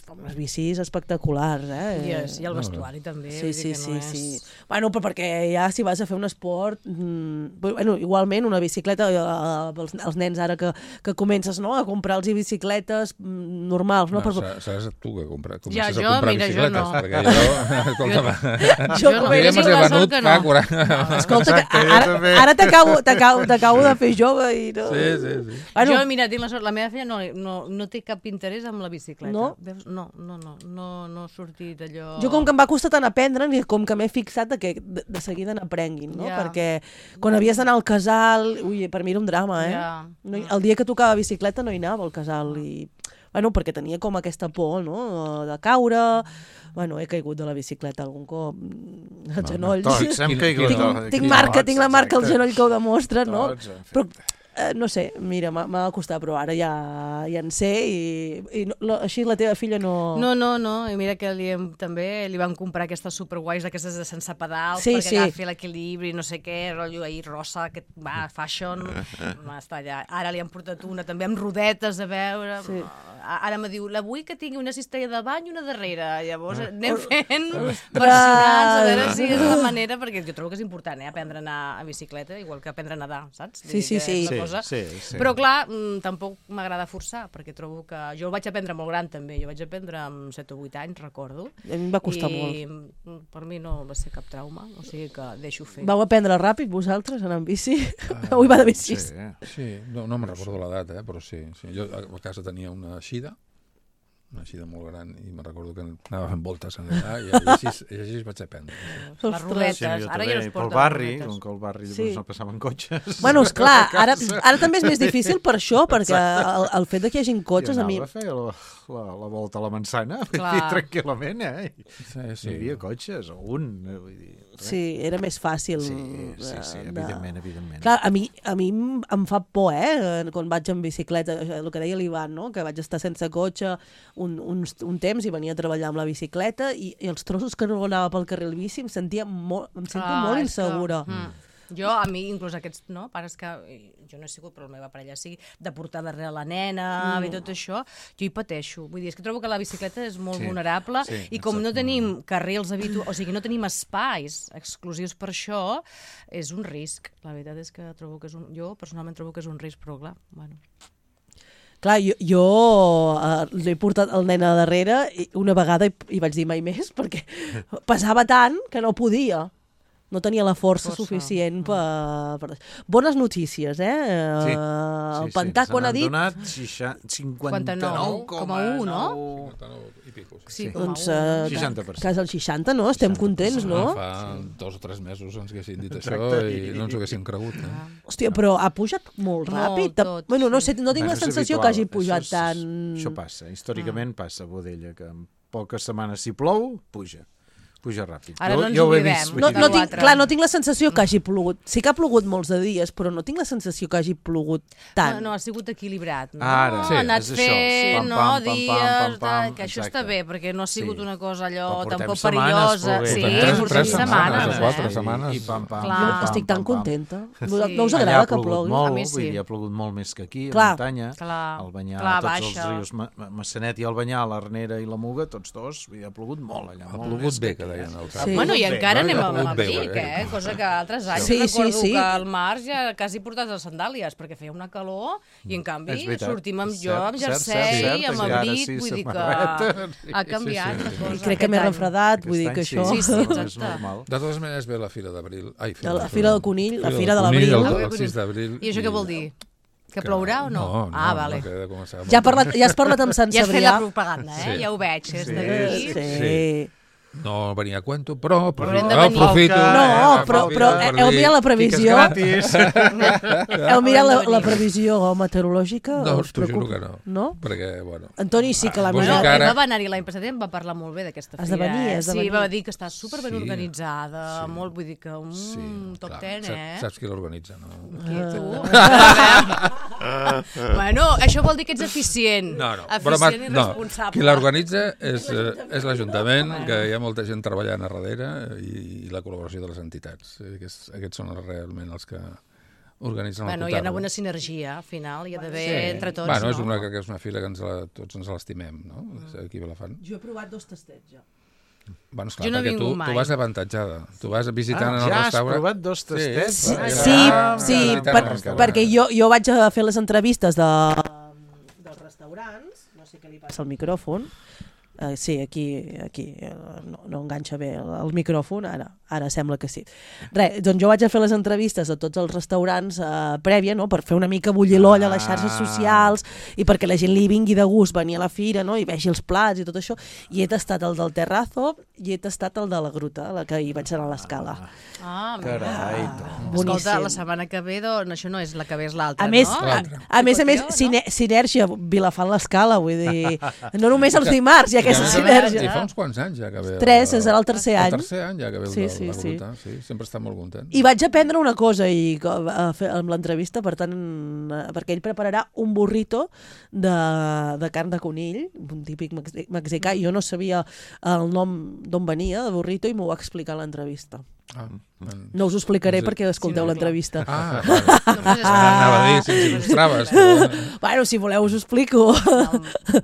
fa unes bicis espectaculars, eh? I, és, i el vestuari també, sí, vull dir sí, que no sí, és... sí. Bueno, però perquè ja si vas a fer un esport, mmm, bueno, igualment una bicicleta, eh, els, els nens ara que, que comences, no?, a comprar-los bicicletes mm, normals, no? no però... Seràs tu que compra, comences Ja, a jo, comprar mira, jo bicicletes, no. perquè jo, escolta, Jo jo, no. jo ja me Tinc l'he la sort venut que fa no. quaranta... Escolta, que Exacte, jo ara, també. ara t'acabo de fer jove i no... Sí, sí, sí. Bueno, Jo, mira, tinc la sort, la meva filla no, no, no té cap interès amb la bicicleta. No? Veus? No, no, no, no, no ha sortit allò... jo com que em va costar tant aprendre, i com que m'he fixat de que de, de seguida n'aprenguin, no? Ja. Perquè quan havies d'anar al casal, ui, per mi era un drama, eh? Ja. No, hi- el dia que tocava bicicleta no hi anava al casal i... Bueno, perquè tenia com aquesta por, no?, de caure... Bueno, he caigut de la bicicleta algun cop, als genolls. Tots hem caigut. Tinc, de- tinc aquí, marca, tots, tinc la marca al exacte. genoll que ho demostra, no? Tots hem fet. Però, eh, no sé, mira, m'ha m'ha costat, però ara ja, ja en sé i, i no, la, així la teva filla no... No, no, no, i mira que li hem, també li van comprar aquestes superguais, aquestes de sense pedals, Sí, perquè sí. agafi l'equilibri, no sé què, rotllo ahir rosa, aquest, va, fashion, va estar allà. Ara li han portat una també amb rodetes a veure, Sí. ara me diu, la vull que tingui una cistella de bany i una darrere, llavors anem Oh. fent versionats, a veure si és la manera, perquè jo trobo que és important, eh, aprendre a anar a bicicleta, igual que aprendre a nedar, saps? Vull Sí, dir sí, que sí. és una Sí, cosa... sí, sí. Però clar, mm, tampoc m'agrada forçar, perquè trobo que... Jo ho vaig aprendre molt gran també, jo vaig aprendre amb set o vuit anys, recordo. A mi em va costar I molt. mm, per mi no va ser cap trauma, o sigui que deixo fer. Vau aprendre ràpid vosaltres anar amb bici? Ui, va de bici. Sí, eh? Sí, no, no me'n recordo l'edat, eh, però sí, sí. Jo a a casa tenia una eixida, una eixida molt gran, i me'n recordo que anava fent voltes en allà, i, i, així, i així vaig aprendre. Sí. Les rodetes, Sí, jo ara també, ja no es pel porten barri, rodetes. com que al barri Sí. doncs, no passaven cotxes. Bueno, esclar, ara, ara també és més difícil per això, perquè el, el fet de que hi hagin cotxes Jo a mi... anava a fer la, la, la volta a la manzana, vull Clar. dir, tranquil·lament, eh? Sí, Sí. Hi havia cotxes, o un, eh, vull dir... res. Sí, era més fàcil. Sí, sí, sí, de- evidentment, evidentment. Clar, a mi, a mi em em fa por, eh, quan vaig en bicicleta, el que deia l'Ivan, no?, que vaig estar sense cotxe un, un, un temps i venia a treballar amb la bicicleta i, i els trossos que no anava pel carril bici em sentia molt, em sento Clar, molt és que, insegura. mm. Jo, a mi, inclús aquests no, pares que... Jo no he sigut, però la meva parella sí, de portar darrere la nena mm. i tot això, jo hi pateixo. Vull dir, és que trobo que la bicicleta és molt Sí, vulnerable sí, i com no exacte. tenim carrils habituals, o sigui, no tenim espais exclusius per això, és un risc. La veritat és que trobo que és un... Jo, personalment, trobo que és un risc, però clar, bueno... Clar, jo, jo uh, l'he portat el nen a darrere i una vegada i, i vaig dir mai més perquè pesava tant que no podia. No tenia la força, Força. suficient per, per... Bones notícies, eh? Sí, Uh, el sí, Pantà, sí. quan ha dit... Se n'han donat cinquanta-nou cinquanta-nou coma u, no? cinquanta-nou i pico, Sí, Sí. com a Doncs, un. uh, seixanta per cent. Quasi el seixanta, no? Estem contents, no? Fa dos o tres mesos ens haguessin dit això Exacte. i no ens ho haguessin cregut. Eh? Hòstia, però ha pujat molt Molt, ràpid. tot, bueno, no sí. sé, no tinc Bueno, la és sensació habitual. que hagi pujat Això és- tant... Això passa, històricament passa a Bodella, que en poques setmanes si plou, puja. puja ràpid. Ara jo, no ens jo ho he oblidem. vist. No, no de tinc, l'altre. clar, no tinc la sensació que hagi plogut. Sí que ha plogut molts de dies, però no tinc la sensació que hagi plogut tant. No, no, ha sigut equilibrat. No? Ara, ha anat és això. fent, Pam, no, pam, pam, dies, pam, pam, pam, tal, que això exacte. està bé, perquè no ha sigut Sí. una cosa allò Però portem tampoc setmanes perillosa. plovent. Sí, Portem portem tres setmanes, setmanes, o quatre eh? setmanes. I pam, pam, Clar. pam, Estic pam, tan pam. contenta. Sí. No us Allà agrada ha que plogut plogui? molt, A mi sí. vull dir, ha plogut molt més que aquí, Clar. a muntanya. Clar. Al Banyà, Clar, tots baixa. els rius, Ma- Ma- Massanet i el Banyà, l'Arnera i la Muga, tots dos, vull dir, ha plogut molt allà. Ha molt plogut més bé, que que aquí. deien els Sí. Bueno, i Bé, encara no? anem Ha amb plogut bé, l'abric, eh? eh? Cosa que altres anys Sí, sí, recordo sí. que al març ja quasi portats les sandàlies, perquè feia una calor i en canvi És veritat. sortim amb És jo, cert, amb cert, jersei, cert, cert, amb i ara abric, sí, vull dir que samarreta. ha canviat Sí, sí, la sí. cosa. I crec que aquest m'he any. refredat, vull dir que Aquest això... any Sí, sí, és exacte. normal. De totes maneres ve la Fira d'Abril. Ai, De la Fira del Conill, la Fira de Conill, l'Abril. El, el sis d'abril. I això què vol dir? Que plourà o no? No, no, ah, vale. no, que ha de començar. Ja, parlat, ja has parlat amb Sant Ja has fet la Cebrià. propaganda, eh? Sí. Ja ho veig, és Sí, d'aquí. Sí. Sí. No venia a cuento, però Però hem de aprofito, venir. aprofito No, eh, però, aprofito però per heu dir- mirat la previsió? Gratis. Heu mirat la, la previsió meteorològica? No, Us t'ho juro preocupa? que no. No? Perquè, bueno... Antoni sí que l'ha Vos Bueno, mirat. encara- ell va anar-hi l'any passat i em va parlar molt bé d'aquesta Has fira. de venir, eh? has de Sí, venir. va dir que està superben Sí. organitzada, Sí. molt, vull dir que un Sí, top clar. ten, Saps- eh? Saps qui l'organitza, no? Qui, tu? Bueno, això vol dir que ets eficient. No, no. Eficient i no. responsable. Qui l'organitza és, eh, és l'Ajuntament, que hi ha molta gent treballant a darrere i, i la col·laboració de les entitats. Eh, Aquests, aquests són realment els que organitzen Bueno, el hi ha una Cotarro. bona sinergia, al final, hi ha d'haver Sí. entre tots, bueno, és no? una, que és una fila que ens la, tots ens l'estimem, no? Mm. Aquí a Vilafant. Jo he provat dos tastets, ja. Bueno, esclar, Jo no he perquè tu, vingut mai. tu vas avantatjada. Tu vas visitant Ah, en el ja has restaurant... provat dos tastets? Sí, Sí, Ah, sí, ja. sí Visitant per, el restaurant. perquè jo, jo vaig a fer les entrevistes de, dels restaurants, no sé què li passa al micròfon, uh, sí, aquí, aquí uh, no, no enganxa bé el, el micròfon, ara, ara sembla que sí. Res, doncs jo vaig a fer les entrevistes a tots els restaurants uh, prèvia, no?, per fer una mica bullir l'olla a les xarxes socials i perquè la gent li vingui de gust venir a la fira, no?, i vegi els plats i tot això, i he tastat el del Terrazo i he tastat el de la Gruta, la que hi vaig anar a l'Escala. Ah, mira. Carai, Escolta, boníssim. la setmana que ve, doncs, això no és la que ve, és l'altra, A més, no? a, a més a més, sine, sinèrgia, Vilafant l'Escala, vull dir, no només els dimarts hi ha aquesta I sinèrgia. fa uns quants anys ja que ve... Tres, és el tercer any. El tercer any ja que ve el Sí, de sí, la sí. Gruta. Sí, sempre està molt content. I vaig aprendre una cosa i, co- a fer, amb l'entrevista, per tant, eh, perquè ell prepararà un burrito de, de carn de conill, un típic mex- mexicà, i jo no sabia el nom d'on venia, de burrito, i m'ho va explicar a l'entrevista. Ah, No us ho explicaré Sí. perquè escolteu Sí, no, l'entrevista. Ah, vale. Anava a dir, si ens il·lustraves. Però... Bueno, si voleu us ho explico.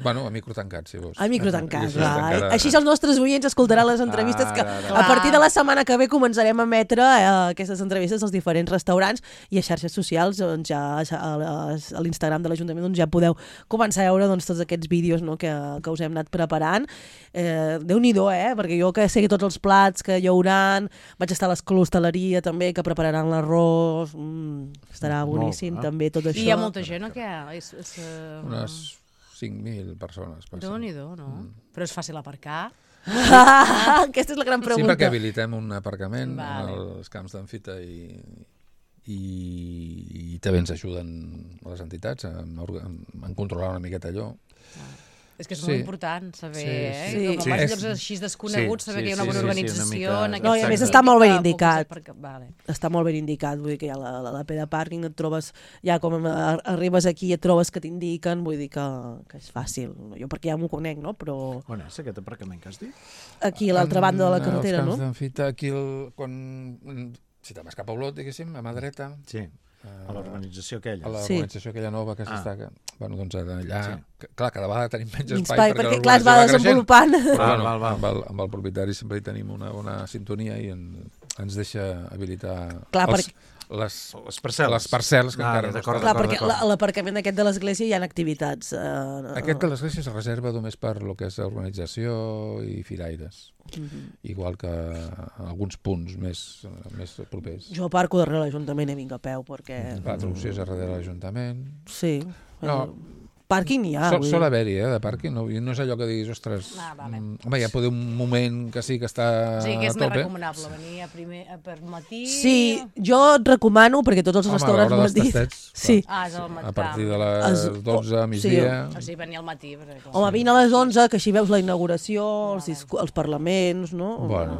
Bueno, a micro tancat, si vols. A micro tancat, I així va. encara- Així els nostres oients escoltaran les entrevistes que Ara, a partir de la setmana que ve començarem a emetre eh, aquestes entrevistes als diferents restaurants i a xarxes socials, doncs ja a, a l'Instagram de l'Ajuntament doncs ja podeu començar a veure doncs, tots aquests vídeos, no, que, que us hem anat preparant. Eh, Déu-n'hi-do, eh? Perquè jo que sé que tots els plats que hi hauran, vaig estar a l'hostaleria també, que prepararan l'arròs, mm, estarà Molt boníssim bé. també tot això. I hi ha molta gent, o què? És, és, uh... Unes cinc mil persones. passen. Déu-n'hi-do, no? Mm. Però és fàcil aparcar? Aquesta és la gran Sí, pregunta. perquè habilitem un aparcament Vale. als camps d'Amfita i, i, i també ens ajuden les entitats a, a, a controlar una miqueta allò. És que és Sí. molt important saber, Sí, eh? sí. Com Sí. vas a És- llocs així desconeguts, Sí, saber sí, que hi ha una sí, bona sí, sí, organització una en mica- aquest No, i a més sentit, està molt ben que puguis indicat. aparcar- Vale. Està molt ben indicat, vull dir que ja la, la, la P de pàrquing et trobes, ja com a- arribes aquí et trobes que t'indiquen, vull dir que, que és fàcil. Jo perquè ja m'ho conec, no? Però On és aquest aparcament que has dit? aquí a l'altra banda de la carretera, Els no? camps d'Amfita, aquí, el, quan, si te'n vas cap a Olot, diguéssim, a mà dreta, Sí, a l'organització aquella. a Sí. l'organització aquella nova que Ah. s'està... Bueno, doncs allà... Sí. que- Clar, cada vegada tenim menys Espai, espai, perquè, clar, es va l'organització desenvolupant. Però, Val, bueno, val, val. Amb, el, amb el propietari sempre hi tenim una bona sintonia i en, ens deixa habilitar Clar, els, les, Les parcel·les. les parcel·les que Ah, encara no d'acord, estan. Clar, d'acord, perquè d'acord. la- a l'aparcament aquest de l'església hi ha activitats. Eh, Aquest de l'església es reserva només per lo que és organització i firaires. Mhm. Igual que alguns punts més, més propers. Jo aparco darrere l'Ajuntament i vinc a peu, perquè... La traducció és a darrere de l'Ajuntament. Sí. No, eh, Pàrquing n'hi ha. Sol, sol haver-hi, eh, de pàrquing. No, no és allò que diguis, ostres... Ah, vale. Home, hi ha poder un moment que sí que està Sí, que és a més tope. recomanable venir a primer, a per matí... Sí, jo et recomano, perquè tots els Home, restaurants a l'hora m'ho han dels dit. tastets, Sí. Ah, és al matí. A partir de les Es- dotze, oh, migdia... O sigui, venir al matí. Perquè, clar. Home, vine a les onze, que així veus la inauguració, els, discu- els parlaments, no? Bueno,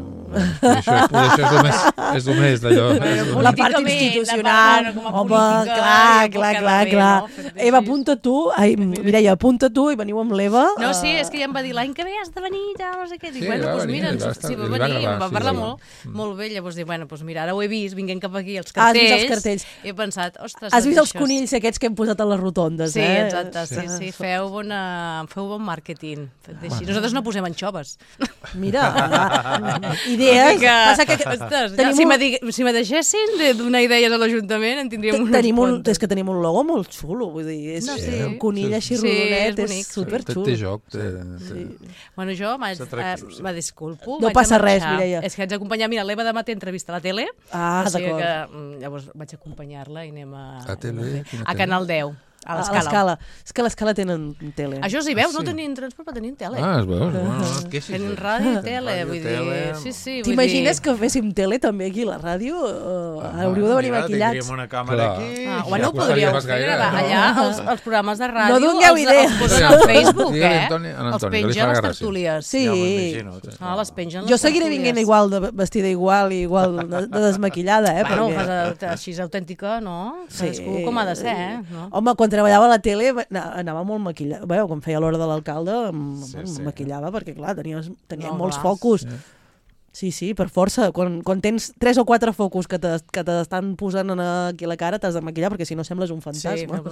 això, això és el més, és el més d'allò. Bueno, La part políticament, institucional. la part, com a Home, política, clar, ja pot clar, quedar clar, bé, clar. no? Fer-ho Eva, així. apunta tu. Ai, Mireia, apunta tu i veniu amb l'Eva. No, sí, eh, és que ja em va dir l'any que ve has de venir, ja no sé què. Dic, Sí, bueno, va doncs venir, mira, li va ens- estar- sí, va li va venir, em agradar, va sí, parlar sí. molt, molt bé. Llavors dic, bueno, doncs mira, ara ho he vist, vinguent cap aquí, els Has cartells. vist els cartells. He pensat, ostres... Has vist doncs els això és- conills aquests que hem posat a les rotondes, Sí, eh? exacte, sí, sí, feu, bona, feu bon màrqueting. Així. Nosaltres no posem anxoves. Mira, ja, idees. Que, Passa que ostres, ja, tenim si, un- me dig, si me deixessin de donar idees a l'Ajuntament en tindríem unes Tenim un, quantes. és que tenim un logo molt xulo, vull dir, és No, sí. sí. un conill així Sí, rodonet, és és, bonic. superxulo. Té, té joc. Té, té... Bueno, jo vaig, És eh, atractiu, sí. me disculpo. No vaig passa a res, marxar. Mireia. És que haig d'acompanyar, mira, l'Eva demà té entrevista a la tele, Ah, o sigui d'acord. que mm, llavors vaig acompanyar-la i anem a... A tele? Quina A tele? Canal deu, a A l'Escala. l'escala. És que a l'escala tenen tele. Això sí, veus, Ah, no sí? tenien transport, però tenien tele. Ah, es veu? Bueno, no et queixis. Tenen ràdio i tele, Ràdio, vull tele. dir... Sí, sí, vull T'imagines dir... que féssim tele també aquí a la ràdio? Uh, Ah, hauríeu de venir Mira, maquillats. tindríem una càmera Clar. aquí. Ah, Ja bueno, ho costaria podríeu pas fer, gaire, allà, no? allà els, els programes de ràdio... No dongueu els, idees. Els posen al Facebook, Digue-li eh? a Antoni- a Els Antoni, que li pengen farà les gràcia. tertúlies. Sí. Ja m'imagino. Ah, les pengen les Jo seguiré tertúlies. vinguent igual, de, vestida igual, igual de, de desmaquillada, eh? Bueno, perquè- fas a- així és autèntica, no? Cadascú com ha de ser, eh? No? Home, quan treballava a la tele va- na- anava molt maquillat. Bé, quan feia l'hora de l'alcalde em, Sí, em sí. maquillava perquè, clar, tenies, tenia No, molts clar. focus. Sí, sí, per força. Quan, quan tens tres o quatre focus que te- que t'estan posant en aquí a la cara, t'has de maquillar perquè si no sembles un Sí, fantasma.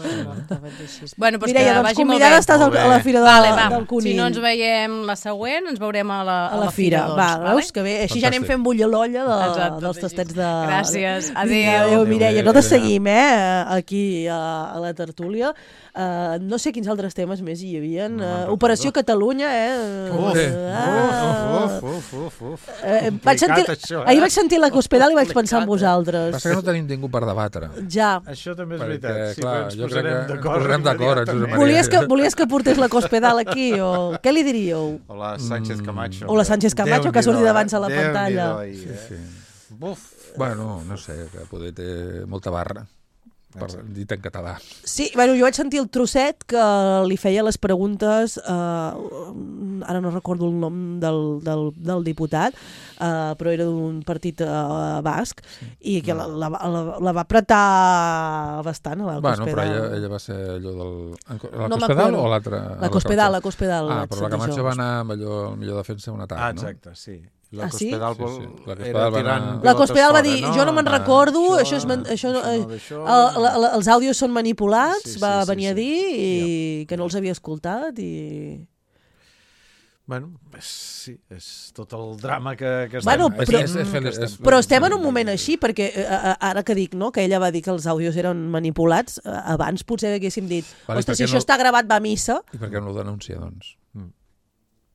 bueno, doncs Mireia, que doncs vagi molt convidada bé. estàs al- Molt bé. a la Fira de, Vale, va. del Conill. Si no ens veiem la següent, ens veurem a la, a la fira. doncs, Va, vale? veus que bé? Així ja anem Fantàstic. fent bullir l'olla de, Exacte, dels sí, tastets sí. de... Gràcies. Vinga, Adéu. Adéu, Mireia. Adéu, Nosaltres adéu. seguim, eh, aquí a, a la tertúlia. Uh, no sé quins altres temes més hi havia. No Uh, me'n Operació recordo. Catalunya, eh? Uf, Ah. uf, uf, uf, uf. Eh, vaig Complicat, sentir, això, eh? ahir vaig sentir la Cospedal i vaig pensar en Complicat, vosaltres. Passa que no tenim ningú per debatre. Ja. Això també és Perquè, veritat. Sí, clar, però ens jo crec posarem que ens d'acord posarem d'acord, immediatament. Josep Maria. Volies que, volies que portés la Cospedal aquí o què li diríeu? O la Sánchez Camacho. O la Sánchez Camacho, que ha sortit Déu-n'hi-do, abans a la Déu-n'hi-do, pantalla. ahir, Sí, eh? sí. Buf. Bueno, no sé, que poder té molta barra, per dit en català. Sí, bueno, jo vaig sentir el trosset que li feia les preguntes, eh, ara no recordo el nom del, del, del diputat, eh, però era d'un partit eh, basc, i que la, la, la, la va apretar bastant a la Bueno, però Cospedal. ella, ella va ser allò del... La No Cospedal m'acuerdo. o l'altra? La Cospedal, la Cospedal. Ah, vaig però la sentir Camacho jo. va anar amb allò, el millor defensa un atac, Ah, no? exacte, sí. La Ah, sí? Cospedal, Sí, vol... sí. La era Cospedal va tirant anar- La pilotes Cospedal va fora, dir, no? jo no me'n Ah, recordo, això- això, és, men- això, no, això eh, no, d'això, el- la- la- els àudios són manipulats, Sí, sí, va sí, venir a sí. dir i que no els havia escoltat i... Bueno, és, sí, és tot el drama que, que Bueno, estem... però- és, és, és, és, és, Però estem en un moment així, perquè eh, eh, ara que dic no, que ella va dir que els àudios eren manipulats, eh, abans potser haguéssim dit, Vale, ostres, per si què això no- està gravat va a missa, I per què no ho denuncia, doncs? Mm.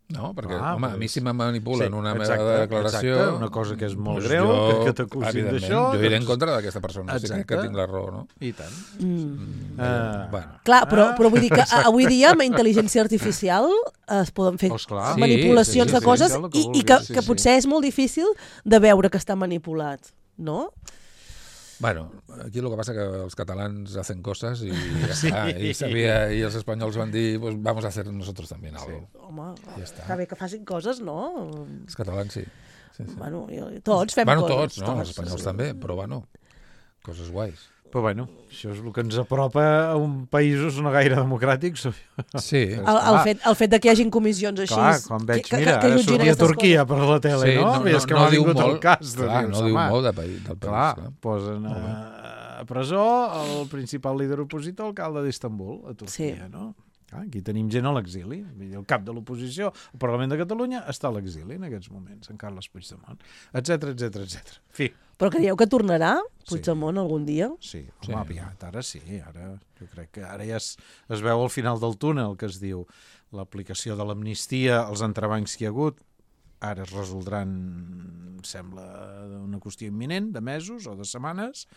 No, perquè, Ah, home, pues- a mi si me manipulen Sí, una exacte, meva declaració... exacte, una cosa que és molt doncs greu, jo, que- que t'acusin evidentment, d'això, Jo iré en doncs- contra d'aquesta persona, si crec que Exacte. tinc la raó, no? I tant. mm. Uh, Bueno. clar, però, Ah. però vull dir que a- avui dia amb intel·ligència artificial es poden fer Oh, esclar. Sí, manipulacions sí, sí, de coses sí, el que i, i vulguis, que, sí, que sí. potser és molt difícil de veure que està manipulat, no? Bueno, aquí el que passa que els catalans hacen cosas y, sí. ah, y, sabía, y els espanyols van dir, pues vamos a hacer nosotros también algo. Sí. Home, Ja està. està bé que facin coses, no? Els catalans sí. sí, sí. Bueno, i- tots fem bueno, coses. tots, no? Els espanyols també, però bueno, coses guais. Però bueno, això és el que ens apropa a un països no gaire democràtics. Sí. El, el, fet, el fet de que hi hagin comissions així... Clar, quan veig, que, que, mira, que ara jutgin sortia aquestes Turquia coses. per la tele, Sí, no? no, I és que no, m'ha no diu vingut el molt, cas. De clar, dir, no diu home, molt de país, del país. Clar, Clar. posen a, a presó el principal líder opositor, alcalde d'Istanbul, a Turquia, Sí. no? Ah, aquí tenim gent a l'exili. Vull dir, el cap de l'oposició, el Parlament de Catalunya, està a l'exili en aquests moments, en Carles Puigdemont, etcètera, etcètera, etcètera. En fi, Però creieu que tornarà Sí. Puigdemont algun dia? sí, Sí. home, aviat, ara sí, ara jo crec que ara ja es, es veu al final del túnel, que es diu l'aplicació de l'amnistia, els entrebancs que hi ha hagut, ara es resoldran, sembla, una qüestió imminent, de mesos o de setmanes,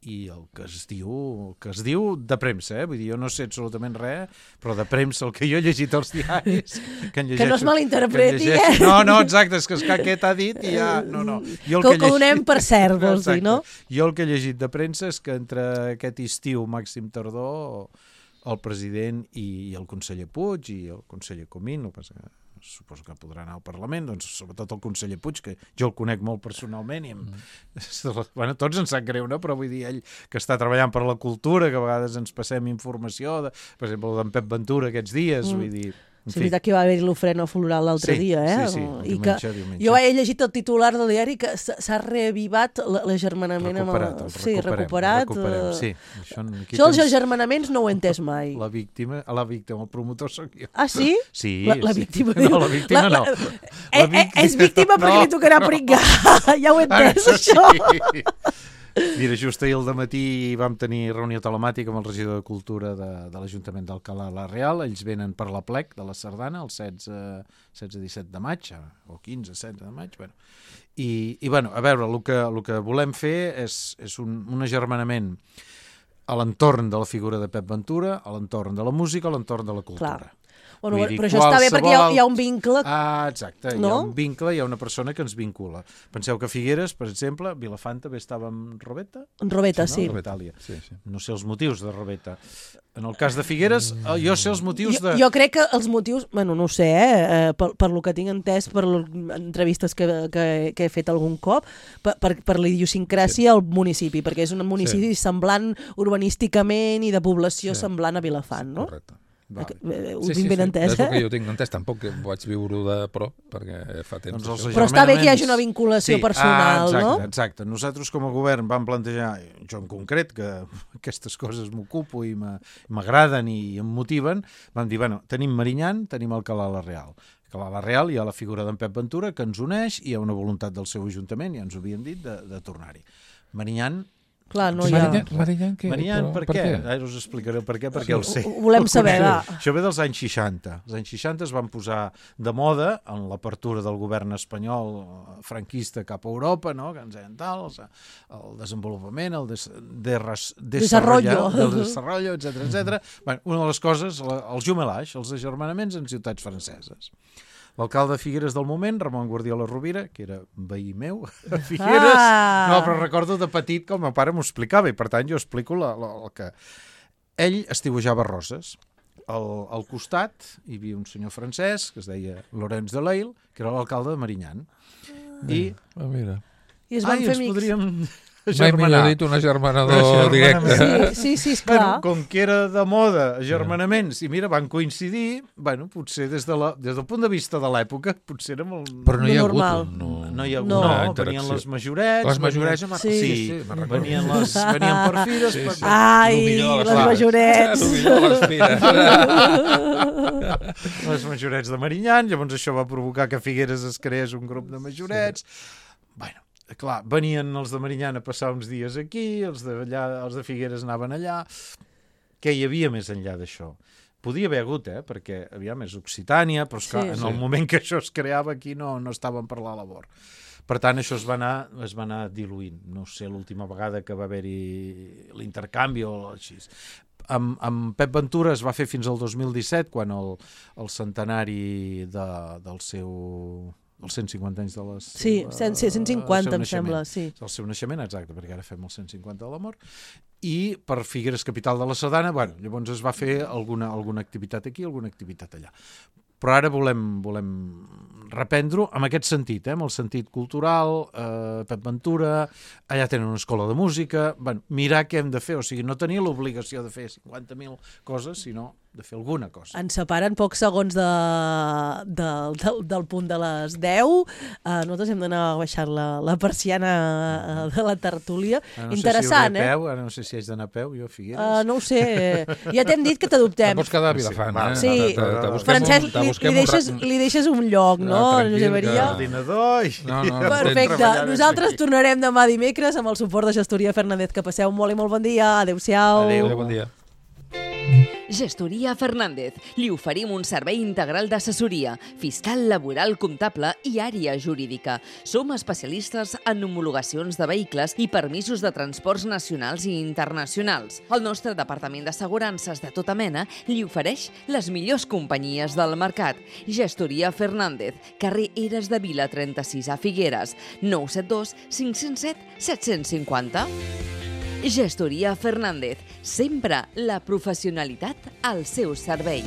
i el que es diu el que es diu de premsa, eh? Vull dir, jo no sé absolutament res, però de premsa el que jo he llegit als diaris que, llegeixo, que no es malinterpreti, que eh? No, no, exacte, és que aquest ha dit i ja... No, no. Jo que, que ho donem per cert, vols dir, no? Jo el que he llegit de premsa és que entre aquest estiu màxim tardor el president i el conseller Puig i el conseller Comín, no passa que suposo que podrà anar al Parlament, doncs sobretot el conseller Puig, que jo el conec molt personalment i em... mm. bueno, tots ens sap greu, no? Però vull dir, ell que està treballant per la cultura, que a vegades ens passem informació, de, per exemple, d'en Pep Ventura aquests dies, mm. vull dir... És veritat que va haver-hi l'ofrena floral l'altre sí, dia, eh? Sí, sí, I diumenge, que diumenge. Jo he llegit el titular del diari que s'ha reavivat l'agermanament amb el... El sí, recuperat. recuperem, sí. Això, això els agermanaments no ho he entès mai. La víctima, la víctima, el promotor sóc jo. Ah, sí? Sí. La, la víctima. Sí. No, la víctima la, la, no. La, la, la, és víctima perquè no, li tocarà no. pringar. Ja ho he entès, ah, això. Sí. Mira, just ahir al dematí vam tenir reunió telemàtica amb el regidor de Cultura de, de l'Ajuntament d'Alcalà la Real. Ells venen per la plec de la Sardana el setze disset de maig, o quinze setze de maig. Bueno. I, i bueno, a veure, el que, el que volem fer és, és un, un agermanament a l'entorn de la figura de Pep Ventura, a l'entorn de la música, a l'entorn de la cultura. Clar. Bueno, dir, però això està bé perquè hi ha, hi ha un vincle. Ah, exacte, no? Hi ha un vincle, hi ha una persona que ens vincula. Penseu que Figueres, per exemple, Vilafant també estava amb Robeta? En Robeta, sí. No? Robetàlia. Sí, sí. No sé els motius de Robeta. En el cas de Figueres, jo sé els motius de... Jo, jo crec que els motius, bueno, no ho sé, eh, per, per lo que tinc entès, per entrevistes que, que, que he fet algun cop, per, per, per la idiosincràsia al sí. municipi, perquè és un municipi sí. semblant urbanísticament i de població sí. semblant a Vilafant, no? Correcte. Vale. Ho sí, tinc sí, ben sí. entès, és eh? el que jo tinc entès, tampoc que vaig viure-ho de prop, perquè fa temps. Doncs però està bé que hi hagi una vinculació sí. personal, ah, exacte, no? Exacte. Nosaltres com a govern vam plantejar, jo en concret, que aquestes coses m'ocupo i m'agraden i em motiven, vam dir, bueno, tenim Marinyan, tenim Alcalà la Real. Alcalà la Real hi ha la figura d'en Pep Ventura que ens uneix i hi ha una voluntat del seu ajuntament, ja ens ho havien dit, de, de tornar-hi. Marinyan Clar, no hi ha... Marinyan, què? Marinyan, per, per què? què? Ara us explicaré per què, perquè sí, el sé. Ho volem saber, va. Això ve dels anys seixanta. Els anys seixanta es van posar de moda en l'apertura del govern espanyol franquista cap a Europa, no? Que ens deien tal, el desenvolupament, el des, des, desarrollo, el desarrollo, etcètera, etcètera. Bueno, una de les coses, els jumelage, els agermanaments en ciutats franceses. L'alcalde de Figueres del moment, Ramon Guardiola Rovira, que era veí meu a Figueres, ah. no, però recordo de petit que el meu pare m'ho explicava i per tant jo explico la, la, el que... Ell estiuejava roses. Al, al costat hi havia un senyor francès que es deia Laurence de Leil, que era l'alcalde de Marinyan. I... Ah, mira. I es van Ai, fer ens amics. podríem... Mai millor dit un agermanador directe. Sí, sí, sí, esclar. Bueno, com que era de moda, agermanaments, i mira, van coincidir, bueno, potser des, de la, des del punt de vista de l'època, potser era molt... Però no hi ha hagut normal. un... No, no hi ha hagut, no. no, venien les majorets... Les majorets, venien, sí, sí, sí, sí, venien, les, venien per fires... Sí, per... sí. Ai, les majorets! El millor de les fires. Les majorets de Marinyan, llavors això va provocar que Figueres es creés un grup de majorets... Sí. Bueno, clar, venien els de Marinyan a passar uns dies aquí, els de, allà, els de Figueres anaven allà... Què hi havia més enllà d'això? Podia haver hagut, eh? Perquè, aviam, és Occitània, però esclar, sí, en el sí. moment que això es creava aquí no, no estaven per la labor. Per tant, això es va anar, es va anar diluint. No sé l'última vegada que va haver-hi l'intercanvi o així. Amb, amb Pep Ventura es va fer fins al dos mil disset, quan el, el centenari de, del seu... els cent cinquanta anys de les... Sí, cent cinquanta em sembla, sí. El seu naixement, exacte, perquè ara fem el cent cinquanta de la mort. I per Figueres, capital de la Sardana, bueno, llavors es va fer alguna, alguna activitat aquí, alguna activitat allà. Però ara volem, volem reprendre-ho amb aquest sentit, eh? Amb el sentit cultural, eh, Pep Ventura, allà tenen una escola de música, bueno, mirar què hem de fer, o sigui, no tenir l'obligació de fer cinquanta mil coses, sinó de fer alguna cosa. Ens separen pocs segons de, de, del, del punt de les deu. Uh, nosaltres hem d'anar baixant la, la persiana uh, de la tertúlia. Ah, no Interessant, sé si eh? Peu, ara no sé si haig d'anar a peu, jo a Figueres. Uh, no ho sé. Ja t'hem dit que t'adoptem. Te pots quedar a Vilafant, eh? Sí. Te, te, te Francesc, un, li, li, deixes, li deixes un lloc, no, Josep Maria? Ordinador. No, no, perfecte. Nosaltres tornarem demà dimecres amb el suport de Gestoria Fernández. Que passeu molt i molt bon dia. Adéu-siau. Adéu. Adéu, bon dia. Gestoria Fernández. Li oferim un servei integral d'assessoria, fiscal, laboral, comptable i àrea jurídica. Som especialistes en homologacions de vehicles i permisos de transports nacionals i internacionals. El nostre departament d'assegurances de tota mena li ofereix les millors companyies del mercat. Gestoria Fernández, carrer Eres de Vila trenta-sis a Figueres, nou set dos cinc zero set set cinc zero. Gestoria Fernández, sempre la professionalitat al seu servei.